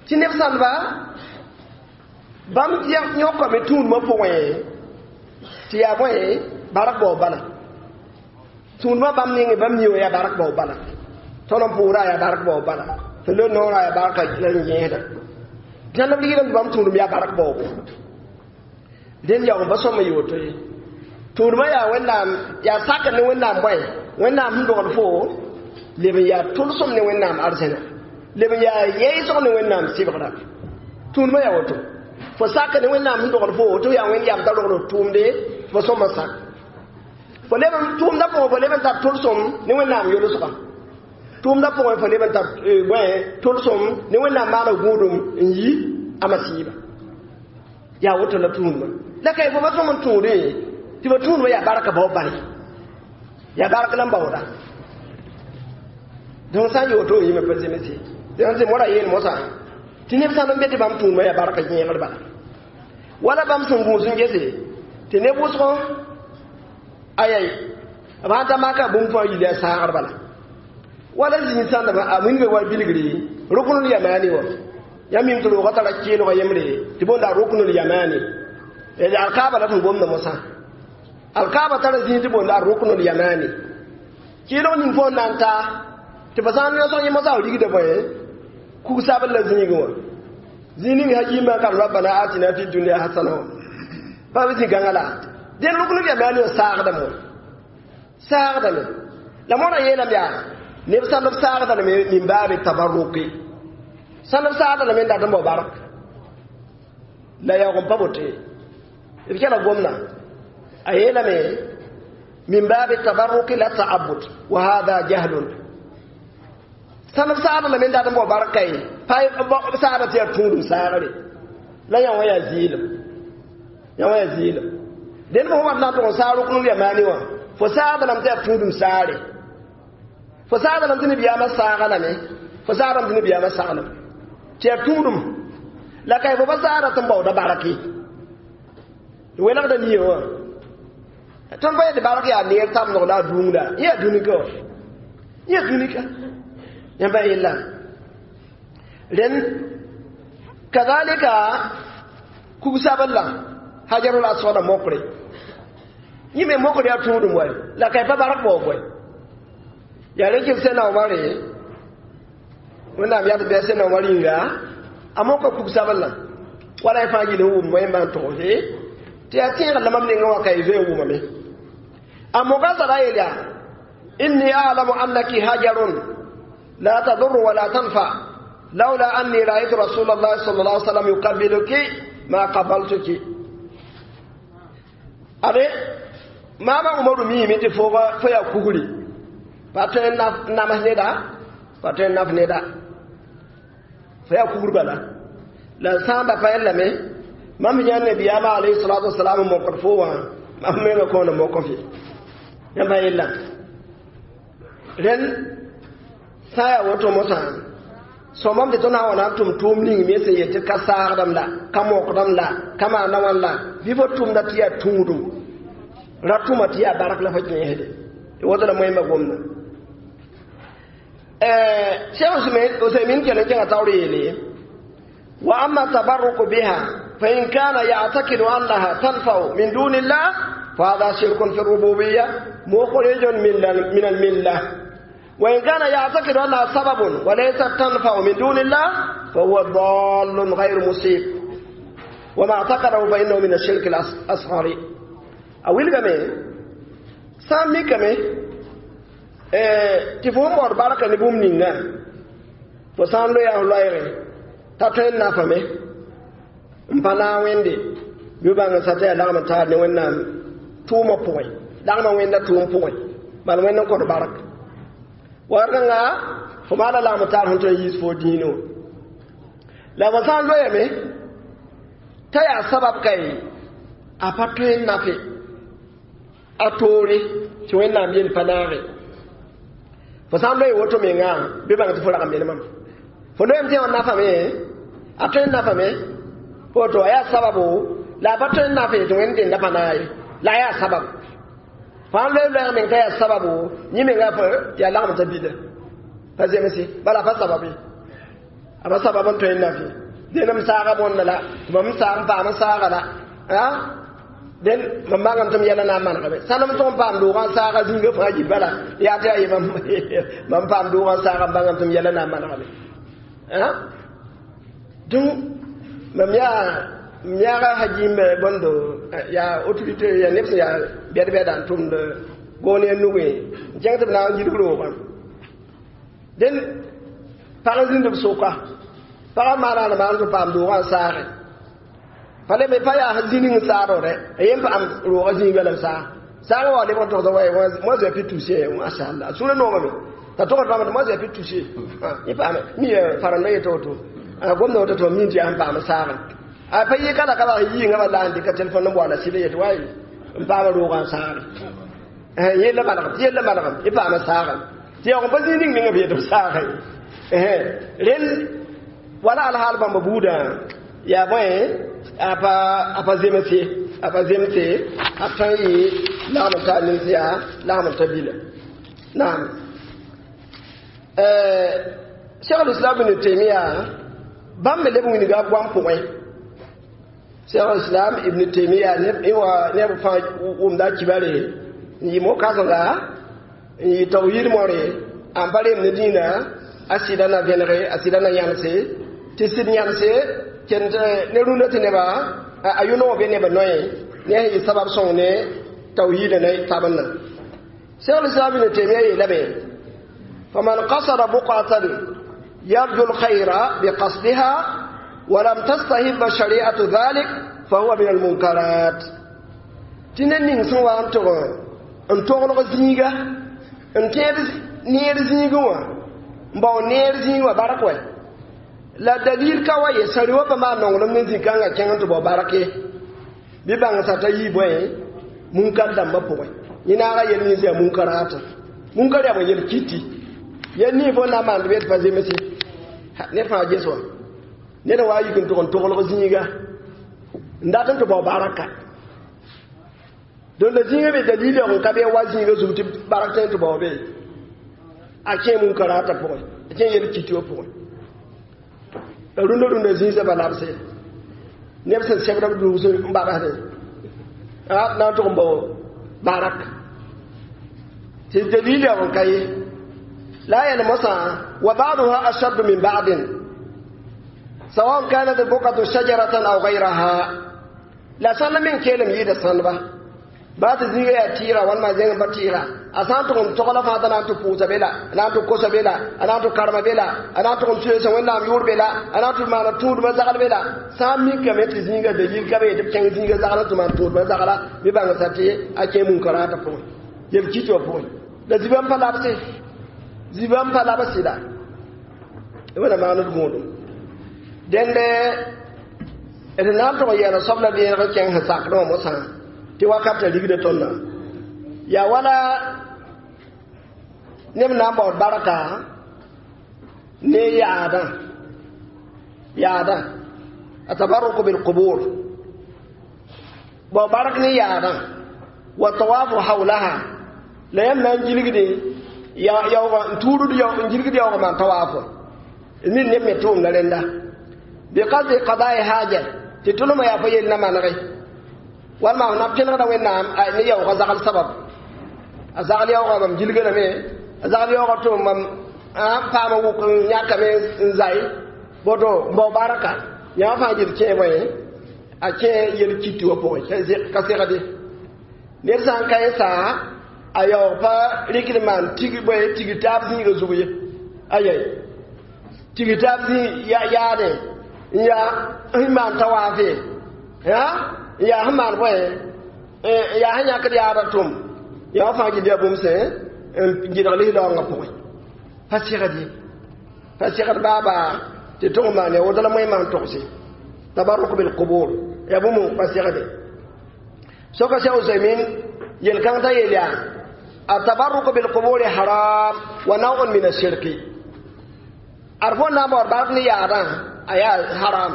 Speaker 2: tɩ neb sãndba bãmb yõkame tũudmã pʋgẽ tɩ yaa bõe bark bao bala tũudmã bãmb nengẽ bãmb ni wã yaa bark bao bala tõnd n pʋʋra yaa bark bao bala tɩ le noorã yaa barka la n yẽesda dãmb ligdã tɩ bãmb tũudum yaa bark baoobo dẽnd yaoog ba sõm n yɩ woto ye tũudmã yaa wẽnnaam yaa sakr ne wẽnnaam bõe wẽnnaam sẽn dogd fo leb n yaa tʋlsem ne wẽnnaam arzẽna leb n yaa yɛɛsg ne wẽnnaam sɩbgra tũudmã yaa woto fo sak ne wẽnnaam sẽn dogd fo tɩ yaa wẽnd yam t'a rogd tʋʋmde fo sõm n sak fo leb n tʋʋmdã pʋgẽ fo leb n tar tʋlsem ne wẽnnaam yolsga tʋʋmdã pʋgẽ fo leb n tar bõe tʋlsem ne wẽnnaam maana gũudum n yi a masiiba yaa woto la tũudmã la ka fo pa sõm n tũudẽ tɩ ba tũudmã yaa barka bao bale yaa bark la n baooda donc sã n yɩ woto yĩmã pa zemse tɩ moara yeel mosã tɩ neb sãn n be tɩ bãmb tũudmã yaa barka yẽegr bala wala bãmb sẽn gũus n gese tɩ neb wʋsgo ayai b sãn ta maka bũmb fãa yil yaa saagr bala wala zĩig sãndb a wilga wa bilgre ruknul yamani wã yãmb mim tɩ roogã tara keelgã yembre tɩ boonda ruknul yamani alkaaba la tɩ gomda mosã alkaaba tara zĩig tɩ boonda ruknul yamani keelg ning fo n na n ta tɩ fa sã n yõsg yẽ mosã rigda bõe kug-sabl la zĩigẽ wã zĩig ning ha yiimã kan rabbana atina fi dunya hasana wã pa b zĩ-gãngã la dẽn ruknul yamani wã saagdame wã saagdame la moarã yeelame yaa neb sãnd b saagda lame min baabi tabarruki sãnd b saagda lame n dat n bao bark la yaoog n pa boto ye b kɛla gomna a yeelame min baabi tabarruki la ta'abbud wa hada jahlun sãnd b saagda lame n dat n bao bark kaye pa saagda tɩ yaa tũudum saagre la yã wã yaa zɩɩlem yã wã yaa zɩɩlem dẽnd fo wat na n tʋg n saag ruknul yamani wã fo saagda lame tɩ yaa tũudum saare fo saagda lame tɩ nabiyaamã saaga lame fo saagdame tɩ nabiyaamã saglem tɩ yaa tũudum la ka fo pa saagda tɩ n baooda barke welgda nie wã tõnd pa yetɩ bark yaa neer tamdg la a dũngda yẽ yaa dũnika wã yẽ yaa dũnika yãmba yella rẽnd kazalika kug-sabl-la hajarul aswada mokre yẽ me mokr yaa tũudum wa la ka pa bark baoog bõe yaa rẽ kɩ sẽna Omare wẽnnaam yaa tɩ bɩ sẽna Omar yĩnga a moka kug-sabl-la wala y fãa yɩl n wʋm wẽmba n togse tɩ yaa tẽegr la mam nengã wã ka y zoe n wʋmame a moka zara yel yaa inni a'lamu annaki hajarun la tadur wala tanfa laula anni ra'aytu rasulallahi sallallahu alaihi wasallam yuqabbiluki ma qabaltuki are mama umaru miime tɩ fo fo yaa kugri pa tõe n namas neda Pa tõe n naf neda fo yaa kugr bala la sã n da pa yellame mam yã nabiyaamã alayhi salatu wasalam n mokd fo wã mam menga kõon n mok f ye yãmb pa yella rẽnd sã n yaa woto mosã sõmam tɩ tõnd na n wa na n tʋm tʋʋm ning me sẽn yel tɩ ka saagdame la ka mokdame la ka maanda wãn la bɩ fo tʋmda tɩ yaa tũudum ra tʋma tɩ yaa bark la fo kẽesde woto la moẽmba gomda Cheikh Usaymin kell n kẽngã taoor yeele wa amma tabarruku biha fa in kana ya'taqidu annaha tanfa'u min dunillah fa hadha shirkun fi rububiyya mukhrijun min al-millah wa in kana ya'taqidu annaha sababun wa laysat tanfa'u min dunillah fa huwa dallun ghayru musib wa ma i'taqadahu fa innahu min ash-shirk al-asghar a wilgame sã n mikame tɩ fo n baood barka ne bũmb ninga fo sã n loeya f loɛɛgẽ t'a tõe n nafame n pa naag wẽnde bɩ bãng n sa t'a yaa lagm n taar ne wẽnnaam tʋʋmã pʋgẽ lagmã wẽnda tʋʋm pʋgẽ bal wẽnd n kõt bark wakat kãnga fo maana lagm taar sẽn tõe n yiis fo dĩinã wã la fo sã n loeeyame t'a yaa sabab kae a pa tõe n nafe a toore tɩ wẽnnaam yel pa naage fo sã n loe woto menga bɩ bãng tɩ fo rag n menemame fo loeem tɩ yã nafame a tõe n nafame woto a yaa sababo la a pa tõe n nafe tɩ wẽnd dẽnda pa naag ye la a yaa sabab fo sãn loe loɛɛg meng t'a yaa sababo yẽ menga yaa lagem t'a bila pa zemse bala a pa sabab ye a pa sabab n tõe n nafe dẽn m saaga bõnda la tɩ mam saag n paam n saaga la den mam bãngame tɩ m yɛla na n manegame sãnem tʋg n paam doogã n saaga zĩnga fãa yib bala yaa tɩ yaa ye mam paam doogã n saaga n bãngame tɩ m yɛla na n manegame donc mam yaa m yaaga hajim bõndo yaa autorité yaa neb sẽn yaa bɛd-bɛda n tʋmd goon ya nugẽ n kẽng tɩ b na n yidg roogã den pag n zĩnd b soka pagã maana n maan tɩ paam doogã n saage pa le me pa yaa zĩning n saadore a yen paam roogã zĩiga la b saag saagã wa lebg n togsa wa moi j'ai pu toucher mashallah sũurã noogame t'a togd bãmb tɩ moi j'ai pu toucher yẽ paam mi faranda yetɩ woto gomda woto tɩ mam min tɩ yaa n paam saagẽ a pa yɩ ka la ka bas yɩɩngã ba la n dɩka telefon n boala sɩda yetɩ wa n paam roogã n saagẽ yella manegem tɩ yella manegem yẽ paam saagẽ tɩ yaoog n pa zĩig ning ninga b yetɩ b saagẽ rẽnd wala alhaal bãmba buudã yaa bõe a pa a pa zemse a pa zemse a tõe n yɩ lagm n taa nins yaa lagm n ta bila naam Cheikh al-Islam ibn Taymiya bãmb me leb wilga a goam pʋgẽ Cheikh al-Islam ibn Taymiya neb fãa wʋmda a kibare n yɩ mo-kãsenga n yɩ tawhid moore n pa reem ne dĩinã a sɩda na vẽnege a sɩda na yãnse tɩ sɩd yãnse kend ne rũndã tɩ neba a yʋ-noog be nebã noe ne a yɩ sabab sõng ne tawhiidã ne tabendã Cheikh al-Islam ibn Taymiya yeelame faman qasada buqatan yarju al-khayra biqasdiha ولم تستهب شريعة ذلك فهو من المنكرات tɩ ned ning sẽn wa n tʋg n toglg zĩiga n tẽed neer zĩigẽ wã n bao neer zĩig wã bark wɛ la dalil ka wa ye sari wa pa maan nonglem ne zĩ-kãngã kẽng n tɩ bao bark ye bɩ bãng sa t'a yii bõe munkar dãmbã pʋgẽ yẽ naaga yel nins yaa munkarata munkar yaa bõe yel kiti yel nii fo na n maand bɩ tɩ pa zemse ned fãa ges wã ned wa yik n tʋg n toglg zĩiga n dat n tɩ bao baraka donc la zĩigã be dalil yaoog n ka bɩ wa zĩigã zug tɩ bark tõe n tɩ bao be a kẽ munkarata pʋgẽ a kẽ yel kiti wã pʋgẽ la rũndã rũndã zĩisã ba labse neb sẽn sɛbda b dugs n babsde na n tʋg n bao barak tɩ dalil yaoog n ka ye la yɛl mosã wa ba'duha ashaddu min ba'din سواء كانت البقعة شجرة أو غيرها لا سنة من كلم يد سنبا بات زيغا يا تيرا وان ما زيغا بتيرا أسان تكون تقلا فاتا نانتو بوسا بلا نانتو كوسا بلا نانتو كارما بلا نانتو كون سيسا وين نام يور بلا نانتو ما تود ما زغل بلا سامي كمت زيغا دليل كبي تبكين زيغا زغلا تو ما تود ما زغلا بيبان ساتي أكي منكرات بوي يبكي تو بوي لا زيبان فلابسي زيبان فلابسي لا Wẽnna maand d gũudum dẽnde d na n tʋg n yɛɛla soab la vẽeneg n kẽng sẽn sakdẽ wã mosã tɩ wakatã rigda tõndã yaa wala neb na n baood barka ne yaadã yaadã atabarruku bilqubur bao bark ne yaadã wa tawafu hawlaha la yãmb na n gilgde yaoogã n tuurd n gilgd yaoogã maan tawaafo min neb me tʋʋmda rẽnda biqasdi qada'i haja tɩ tʋlmã yaa fo yell na manege walma f na pẽnegda wẽnnaam ne yaoogã zagl sabab a zagl yaoogã mam gilgdame a zagl yaoogã tʋm mam paama wʋk n yãkame n zai boto n bao baraka yãa fãa gil kẽe bõe a kẽ yel kiti wã pʋgẽ ka segde ned sã n ka yẽ saa a yaoog pa rɩkd maan tig bõe tigr taab zĩigã zug ye ayai tigr taab zĩ yaadẽ n yaa sẽn maan tawaafe n yaa sẽn maan bõe yaa sẽn yãkd yaadã tʋm yaa fãa gil yaa bũmb sẽ n gɩdg lislaoongã pʋgẽ pa segd ye pa segd baaba tɩ tʋg n maan ya woto la moẽ maan togse tabarruk bilqubur yaa bũmb pa segde soka Cheikh Usaymin yel-kãng t'a yel yaa التبرك بالقبور حرام ونوع من الشرك أرفون نام اور بارك ني يادا أيا حرام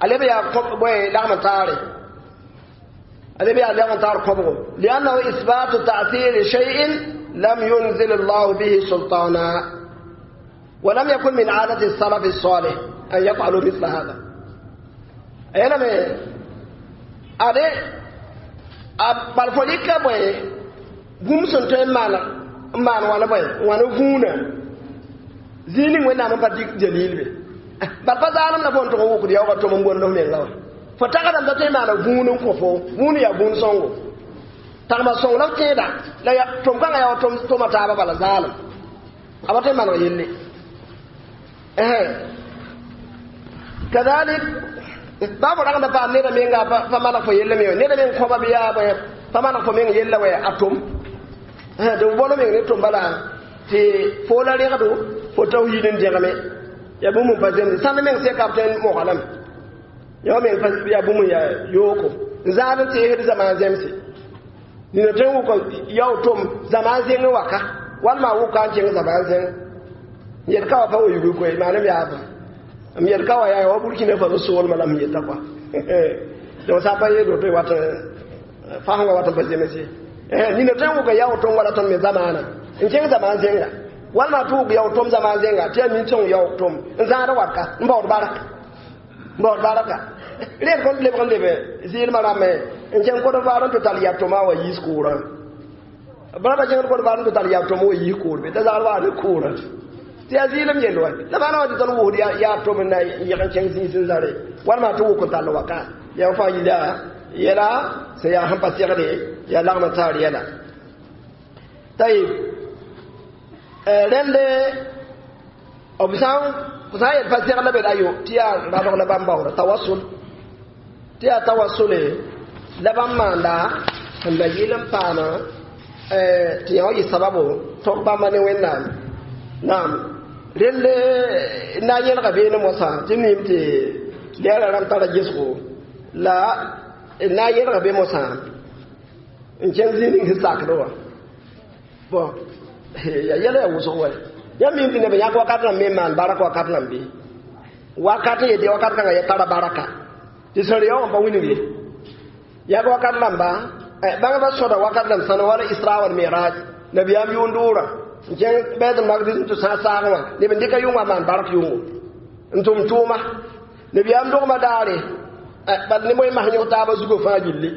Speaker 2: ألي بيا بوي لغم تاري ألي بيا لغم تار قبره لأنه إثبات تأثير شيء لم ينزل الله به سلطانا ولم يكن من عادة السلف الصالح أن يفعلوا مثل هذا أنا مي أدي أبالفوليكا بوي bũmb sẽn tõe n maan n maan wãna bõe wãna vũunã zĩig ning wẽnnaam n pa dɩk dalil be bal pa zaalem la fo n tʋg n wʋkd yaoogã tʋm n bond f menga wã fo tagsdame t'a tõe n maana vũun n kõ fo vũun yaa vũun sõngo tagma sõng la f tẽeda la tʋm kãngã yaa wa tʋma taabã bala zaalem a pa tõe n maneg yelle kadalik baa fo ragda paam neda menga pa maneg fo yelle me neda meng kõba bɩ yaa bõe pa maneg fo meng yella wɛ a tʋm tɩ b bõn meng ne tʋm bala tɩ fo la rẽgdo fo tawhiid n dẽgeme yaa bũmb n pa zemse sãnd meng seka b tõe n moga lame yã meng yaa bũmb n yaa yooko n zãad n teesd zamaan zemse nina tõe n wʋka yao tʋm zamaan zẽng waka walma wʋka n kẽng zamaan zẽng n yet ka wa pa wa yugl koe maanem yaaba m yet ka wa yaa wa Burkina Faso soolmã la m yeta kɔa donc sã n pa yeel woto wat fasẽngã wat n pa zemse nina tõe n wʋka yao tʋm wala tõnd me zamaana n kẽng zamaan zẽnga walma tɩ wʋk yao tʋm zamaan zẽnga tɩ yaa nin sõng yao tʋm n zãad watka n baood barka n baood barka reel kõn lebg n lebe zɩɩlmã rãmbẽ n kẽng kod-vaar n tɩ tall yaa tʋma wa yiis kʋʋrã brãmba kẽngd kod-vaar n tɩ tall yaa tʋm wa yiis kʋʋr be t'a zagr waa ne kʋʋrã tɩ yaa zɩɩlem yell wa la maana wã tɩ tõnd wʋsd yaa tʋm n na yeg n kẽng zĩis n zare walma tɩ wʋk n tall waka yaa fãa yila yɛla sẽn yaa sẽn pa segde yaa lagm n taar yɛla tayib rẽnd b sã n yel pa segl la be ayo tɩ yaa rabg la bãmb baoora tawassul tɩ yaa tawassule la bãmb maanda sẽn da yɩl n paama tɩ yã wa yɩ sababo tog bãmba ne wẽnnaam naam rẽnd na n yẽlga beene mosã tɩ mim tɩ lɛɛrã rãmb tara gesgo la na n yẽlga be mosã n kẽng zĩig ning sẽn sakd wã bon ya yɛla yaa wʋsg wa yãmb mim tɩ neb yãk wakat rãmb me n maan bark wakat rãmb bɩ wakat n yetɩ wakat kãngã ya tara baraka tɩ sẽn re wã pa wilg ye yak wakat rãmba bãngba sõda wakat rãmb sãn wala isra wal miraj nabiyaam yʋʋn-doorã n kẽng bɛt magdis n tɩ sã saagẽ wã neb n dɩka yʋngã maan bark yʋngo n tʋm tʋʋma nabiyaam dogmã daare bal ne moẽ mas yõg taabã zugã fãa gilli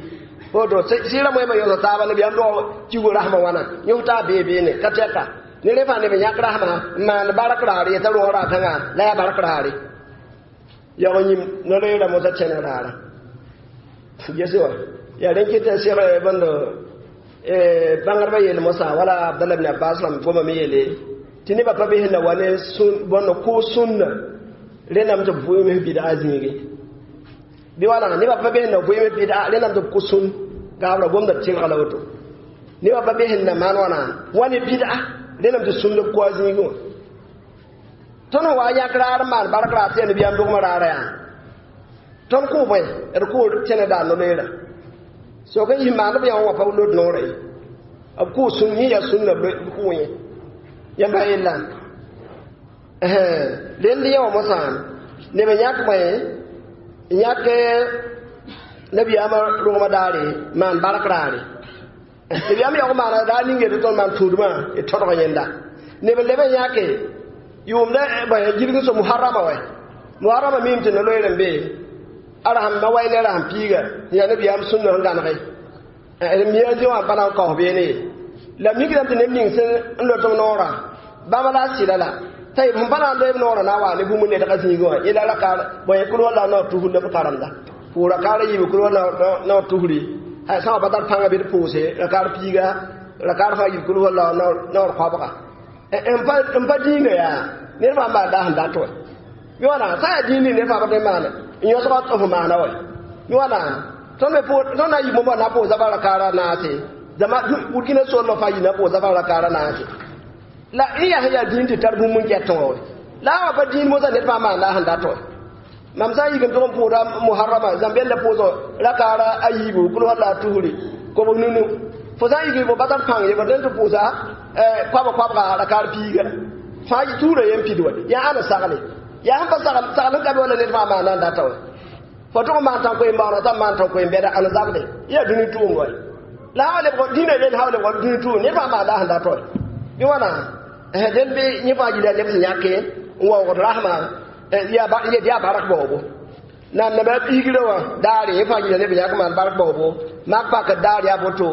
Speaker 2: woto sɩɩrã moẽmã yõsa taaba nabiyaam dog kigo rasmã wãna yõg taab bee beene ka tɛka ne rẽ fãa neb n yãk rasmã n maand bark raare yetã rõog raar kãngã la yaa bark raare yag yĩm no-reerã mosã kẽneg raarã gese wa yaa rẽn kɩt n seg bõndo bãngdbã yeel mosã wala Abdallah ibn Abbas rãmb gomame yeele tɩ nebã pa be sẽn na wa ne bõndo kʋʋs sũnna rẽndame tɩ b vʋɩms bɩdga zĩige bɩ wãna nebã pa be sẽn na vʋɩms bɩdga rẽndame tɩ b kʋ sũn gaabra gomda tɩlga la woto nebã pa be sẽn na maan wãna wa ne bɩdga rẽndame tɩ sũnd b kʋa zĩigẽ wã Tõnd wa yãk raar n maan bark raar tɩ yaa nabiyaam dogmã raara yaa tõnd kʋʋ bõe d kʋʋ tẽnã daar no-loeera sok n yis maand b yã wã pa lod noorã ye b kʋʋ sũn yẽ yaa sũnna b kʋʋ yẽ yãmba yella rend yẽ wã mosã neb n yãk bõe n yãk nabiyaamã rogmã daare maan bark raare nabiyaam yaoog maana daar ning yetɩ tõnd maan tũudmã d tõdg yẽnda neb n leb n yãke yʋʋmda bõe gilg so muharrama wɛ muharrama miime tɩ no-loeer n be ara sẽn ma wa ne ra sẽn piiga yaa nabiyaam sũnna sẽn gãnege mia zĩ wã pa na n kaoos beene ye la mikdame tɩ neb ning sẽn n lot b noorã bãmba la a sɩda la t'a yeb sẽn pa na n loe b noorã na n waa ne bũmb nedgã zĩigẽ wã yẽla rakaar bõe kul walla naoor tusr la b karemda pʋʋs rakaar a yiibu kul walla naoor tusri sã wã pa tar pãnga bɩ d pʋʋse rakaar piiga rakaar fãa yib kul walla naoor koabga n pa dĩinã yaa ned fãa maan daa sẽn dat wɛ bɩ wãna sã yaa dĩin ning ned fãa pa tõe n maana n yõsga f maana wɛ bɩ wãna tõnd me tõnd na n yɩ bõmba na n pʋʋs zafa rakaara naase zama burkina soolmã fãa yɩ na n pʋʋs zafa rakaara naase la n yaa sẽn yaa dĩin tɩ tar bũmb n gɛtẽ wã wɛ la a wã pa dĩin mosã ned fãa maan la a sẽn dat wɛ mam sã n yik n tʋg n pʋʋda muharrama zãmbɛl la pʋʋsg rakaara a yiibu kul walla a tusri kobs nunu fo sã n yik fo pa tar pãng ye fo tõe n tɩ pʋʋsa koab koabga rakaar piiga fãa tuurã yen pid wɛ yaa ãna sagle yaa sẽn pa sagl sagl n ka be wala ned fãa maana n data wɛ fo tʋg n maan tãn-koe-baoona t'a maan tãn-koe-bɛda ãn zabde yaa dũni tʋʋm wɛ la sã wa lebg dĩinã rel sã wa lebg dũni tʋʋm ned fãa maanda sẽn dat wɛ bɩ wãna dẽnd bɩ yẽ fãa yila leb sẽn yãke n waoogd rasmã yet yaa bark baoobo naam naba piigrã wã daare yẽ fãa yila leb yãk maan bark baoobo mak pakd daar yaa boto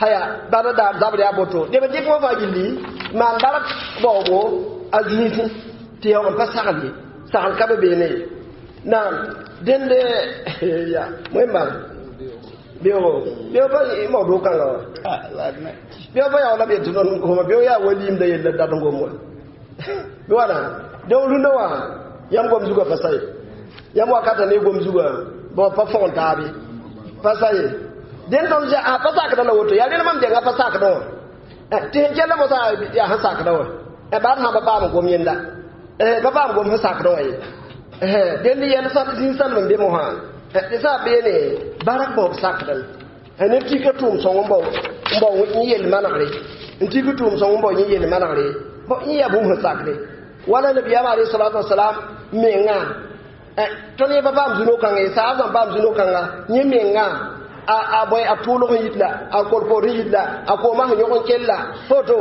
Speaker 2: haya bada daar zabr yaa boto neb n dɩk wã fãa gilli maan bark baoobo a zĩisẽ tɩ yaoog n pa sagl ye sagl ka be beene ye naam dẽnd ya wẽnnaam beoogo beoog pa mao kãngã wã beoog pa yaool la b yet tɩ tõnd goma beoog yaa wa liimda yella dat n gom wã bɩ wãna donc rũndã wã yãmb gom zugã pa sa ye yãmb wakata ne gom zugã bõ pa fõgen taab ye pa sa ye dẽnd tõnd a pa sakdã la woto yaa rẽnd mam denga pa sakdã wã tɩ sẽn kell mosã yaa sẽn sakdã wã baad sã pa paam gom yẽnda pa paam gom sẽn sakdã wã ye dẽnd yɛl zĩig salm n be mosã tɩ sã beene barak baoob sakdame neb tika tʋʋm sõng n bao n bao yẽ yell manegre n tik tʋʋm sõng n bao yẽ yell manegre yẽ yaa bũmb sẽn sakde wala nabiyaam alayhi salatu wasalam menga tõnd yẽ pa paam zũno-kãngã ye saab sãn paam zũno-kãnga yẽ menga a a bõe a tʋʋlg n yit la a kolkoor n yit la a koomã sẽn yõg n kell la foto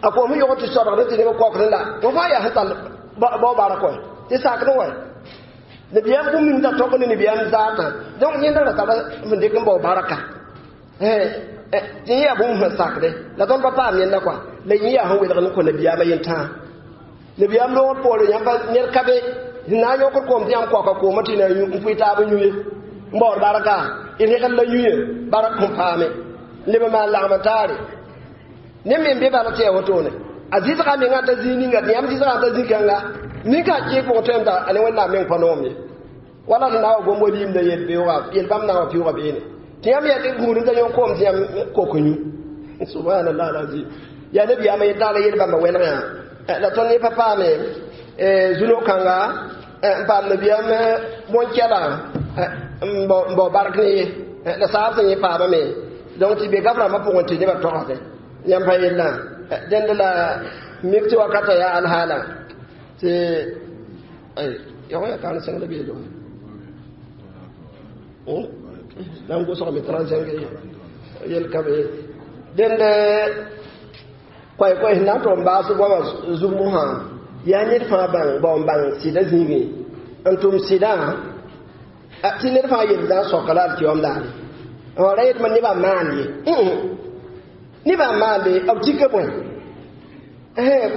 Speaker 2: a koom sẽn yõg tɩ sɔdgd tɩ neb kaokdẽ la fo fãa yaa sẽn tall bao bark wɛ tɩ sakdẽ wɛ nabiyaam bũmb ning t'a tõk ne nabiyaam zaatã donc yẽnda ra tara sẽn dɩk n bao barka tɩ yẽ yaa bũmb sẽn sakde la tõnd pa paam yẽnda kɔa la yẽ yaa sẽn welg n kõ nabiyaamã yentãa nabiyaam loogr poore yãmb ned ka be sẽn na n yõkd koom tɩ yãmb kaoka koomã tɩ na n pʋɩ taab n yũ ye n baood barka d rẽgd la yũ ye bark kõn paame leb n maan lagm n taare neb me n be bala tɩ yaa wotone a zɩsga mengã t'a zĩig ninga tɩ yãmb zɩsgã t'a zĩ-kãnga ninka kẽeg pʋgẽ tõem t'a ne wẽnnaam meng pa noom ye wala sẽn na wa gom wa liimda yel-beoogã yel-bãmb na n wa pɩʋʋga beene tɩ yãmb yaa tɩ gũud n ta yõk koom tɩ yãmb kok n yũ subhanallah alazim yaa nabiyaamã yetãag la yel-bãmbã wɛlg yã la tõnd yẽ pa paame zũno-kãnga n paam nabiyaam bõn-kɛla n bao bark ne ye la saab sẽn yẽ paamame donc tɩ be gaf rãmbã pʋgẽ tɩ nebã togsdẽ yãmb pa yellã dẽnd la mik tɩ wakata yaa alhaala tɩ yago ya kaan sẽng la beelo na n gʋsgame trente-cinq yel ka be dẽnd koɛɛ-koɛɛ sẽn na n tʋg n baas goamã zug mosã yaa ned fãa bãng bao n bãng sɩdã zĩigẽ n tʋm sɩdã tɩ ned fãa yel na n soka la alkiyom daare wa ra yetɩ nebã maan ye nebã n maande b tika bõe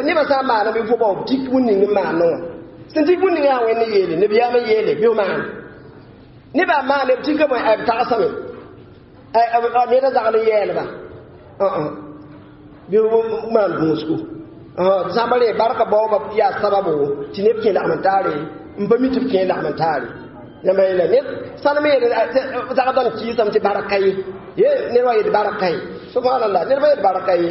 Speaker 2: nebã sã n maaname fo bao b tik bũn ning n maanẽ wã sẽn tik bũn ning yaa wẽnd yeele nabiyaam n yeele bɩ f maan nebã n maande b tika bõe b tagsame neda zagl n yɛɛlba bɩ maan gũusgo sãmba re barka baoobã yaa sababo tɩ neb kẽ lagm n taare n pa mi tɩ b kẽ lagm n taare yãmba yeela ned sãnem yeel zagdã n kɩɩsame tɩ barka ye ye ned wa yet barka ye subhanallah ned pa yet barka ye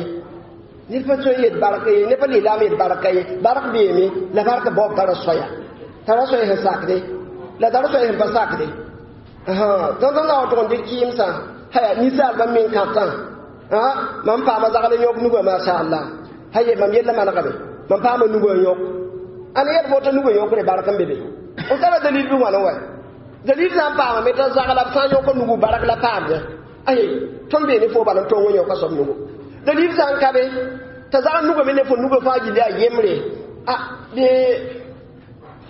Speaker 2: Ned pa tõe n yet bark ye, ned pa lislaam yet barka ye. Bark beeme, la bark baoob tara soaya. Tara soaya sẽn sakde, la tara soaya sẽn pa sakde. Tõnd sẽn na n tʋg n dɩk kɩɩmsã, haya ninsaalbã meng kãtã. Mam paama zagl n yõk nugã mashallah. Haye mam yella manegame. Mam paama nugã n yõk. Ãn yɛl fo t'a nugã yõkre bark n be be. F tara dalil bɩ wãna wa. Dalil sã n paamame t'a zagla b sã n yõk nugu bark la paamde. Aye, tõnd bee ne fo bala n tong n yõka soab nugu. Dalil sã n ka be t'a zagl nugame ne fo nugã fãa gilli a yembre. A bɩ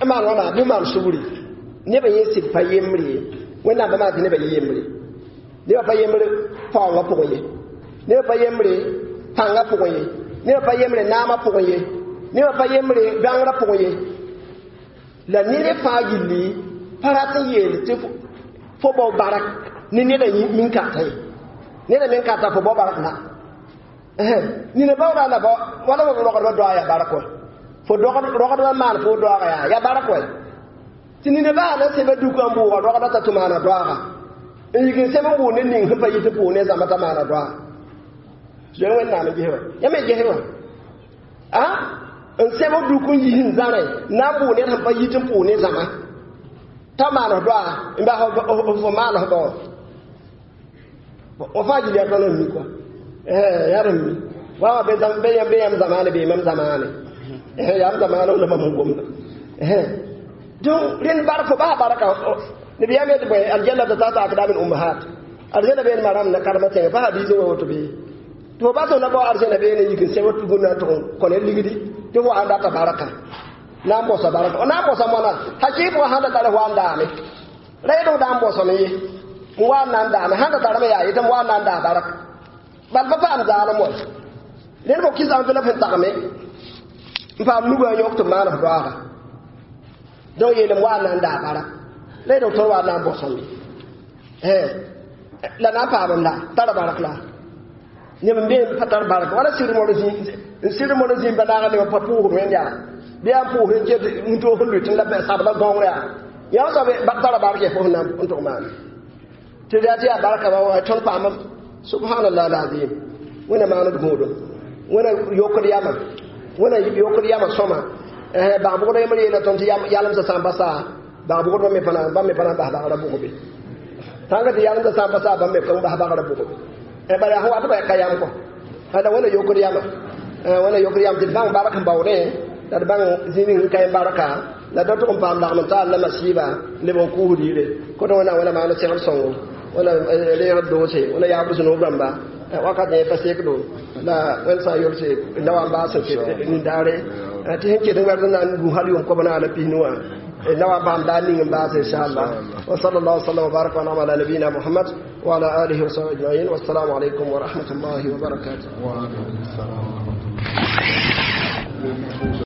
Speaker 2: n maan wãna bɩ maan sugri. Nebã yẽ sɩd pa yembre ye. Wẽnnaam pa maan tɩ nebã yẽ yembre. Nebã pa yembre paoongã pʋgẽ ye. Nebã pa yembre pãngã pʋgẽ ye. Nebã pa yembre naamã pʋgẽ ye. Nebã pa yembre bãngrã pʋgẽ ye. La ned fãa gilli pa rat n yeel tɩ fo bao barak ne neda min-kata ye. Neda men kata fo bao barak la. Nina baooda la wala fo rogdbã doaga yaa barak wa. Fo rogdbã maan fo doaga yaa yaa barak wa. Tɩ nina baa la seba dukã n bʋʋga rogdã t'a tʋ maana doaga. N yik n sem n bʋʋ ned ning sẽn pa yit n pʋʋg ne zãma t'a maana doaga. Zoe Wẽnnaam n ges wa. Yã me ges wa. A n seb duk n yis n zãre n na n bʋʋg ned sẽn pa yit n pʋʋg ne zãma t'a maan f doaga n bas fo maan f bao. Wa fãa gil yaa tõnd n mi kɔa. Yaa d n mi. Wa wã be yãmb zamaane bee mam zamaane. Yaa m zamaane la mam n gomda. Donc rẽnd bark fo baa barka nabiyaam yetɩ bõe aljannata tahta akdam al ummahat. Arzẽna been maram na karma tẽngã pa hadiis wa woto bee. Tɩ fo bas na bao arzẽna beene yik n sẽb tugum na n tʋg n kõ ne ligdi tɩ fo wa n data barka. Na n bosa barka. Na n bosa moana hakɩɩk wã sãn da tara wa n daame. Ra yet f da n bosame ye. N wa n na n daame. Sãn da tarame yaa yetɩ m wa n na n daa bark. Bal pa paam zaalem wa. Rẽnd fo kɩsame tɩ la f sẽn tagme n paam nugã n yõk tɩ maan f doaaga. Donc yeelem wa n na n daa barak. La yet f tõnd wa n na n bosame. La na n paamem la tara barak la. Neb n bee pa tar bark wala sɩd modg zĩig sɩd modg zĩig ba naaga neb pa pʋʋsd wẽnd yaa. Bɩ yaa n pʋʋsd n ket n toog n lʋɩt la sabla gãoongr yaa. Yã soab tara bark yaa fo sẽn na n tʋg maane. Tɩ yaa tɩ yaa barka ba wa tõnd paama subhanallah alazim. Wẽnna maand gũudum. Wẽnna yokd yamã. Wẽnna yokd yamã sõma. Bag bʋgd yembr yeela tõnd tɩ yalemsã sã n pa saa bag bʋgdbã me pa na bãmb me pa na n bas bagrã bʋgbe. Tãnga tɩ yalemsã sã n pa saa bãmb me ka n bas bagrã bʋgbe. Bala sẽn wat ba ka yam kɔ. Ala wẽnna yokd yamã. Wẽnna yokd yam tɩ d bãng bark n baoodẽ la d bãng zĩig ning n ka barka la da tʋg n paam lagm n taal la masiiba leb n kuusd yire. Kõt wẽnnaam wẽnna maand segd sõngo. Wẽnna reegd doose. Wẽnna yaabd sũ-noog rãmba. Wakat yẽ pa sekdo la wẽnd sã n yolse la wa n baas n ket nindaare tɩ sẽn ket n wɛrd n na n gu hal yʋʋm kob naana pisnu wã la wa paam daar ning n baas inshallah. Wa sallallahu sallam wa baraka wa ala nabiyina Muhammad wa ala alihi wa sahbihi ajma'in. Wassalamu alaykum wa rahmatullahi wa barakatuh.
Speaker 1: Wa alaykum assalam wa rahmatullahi.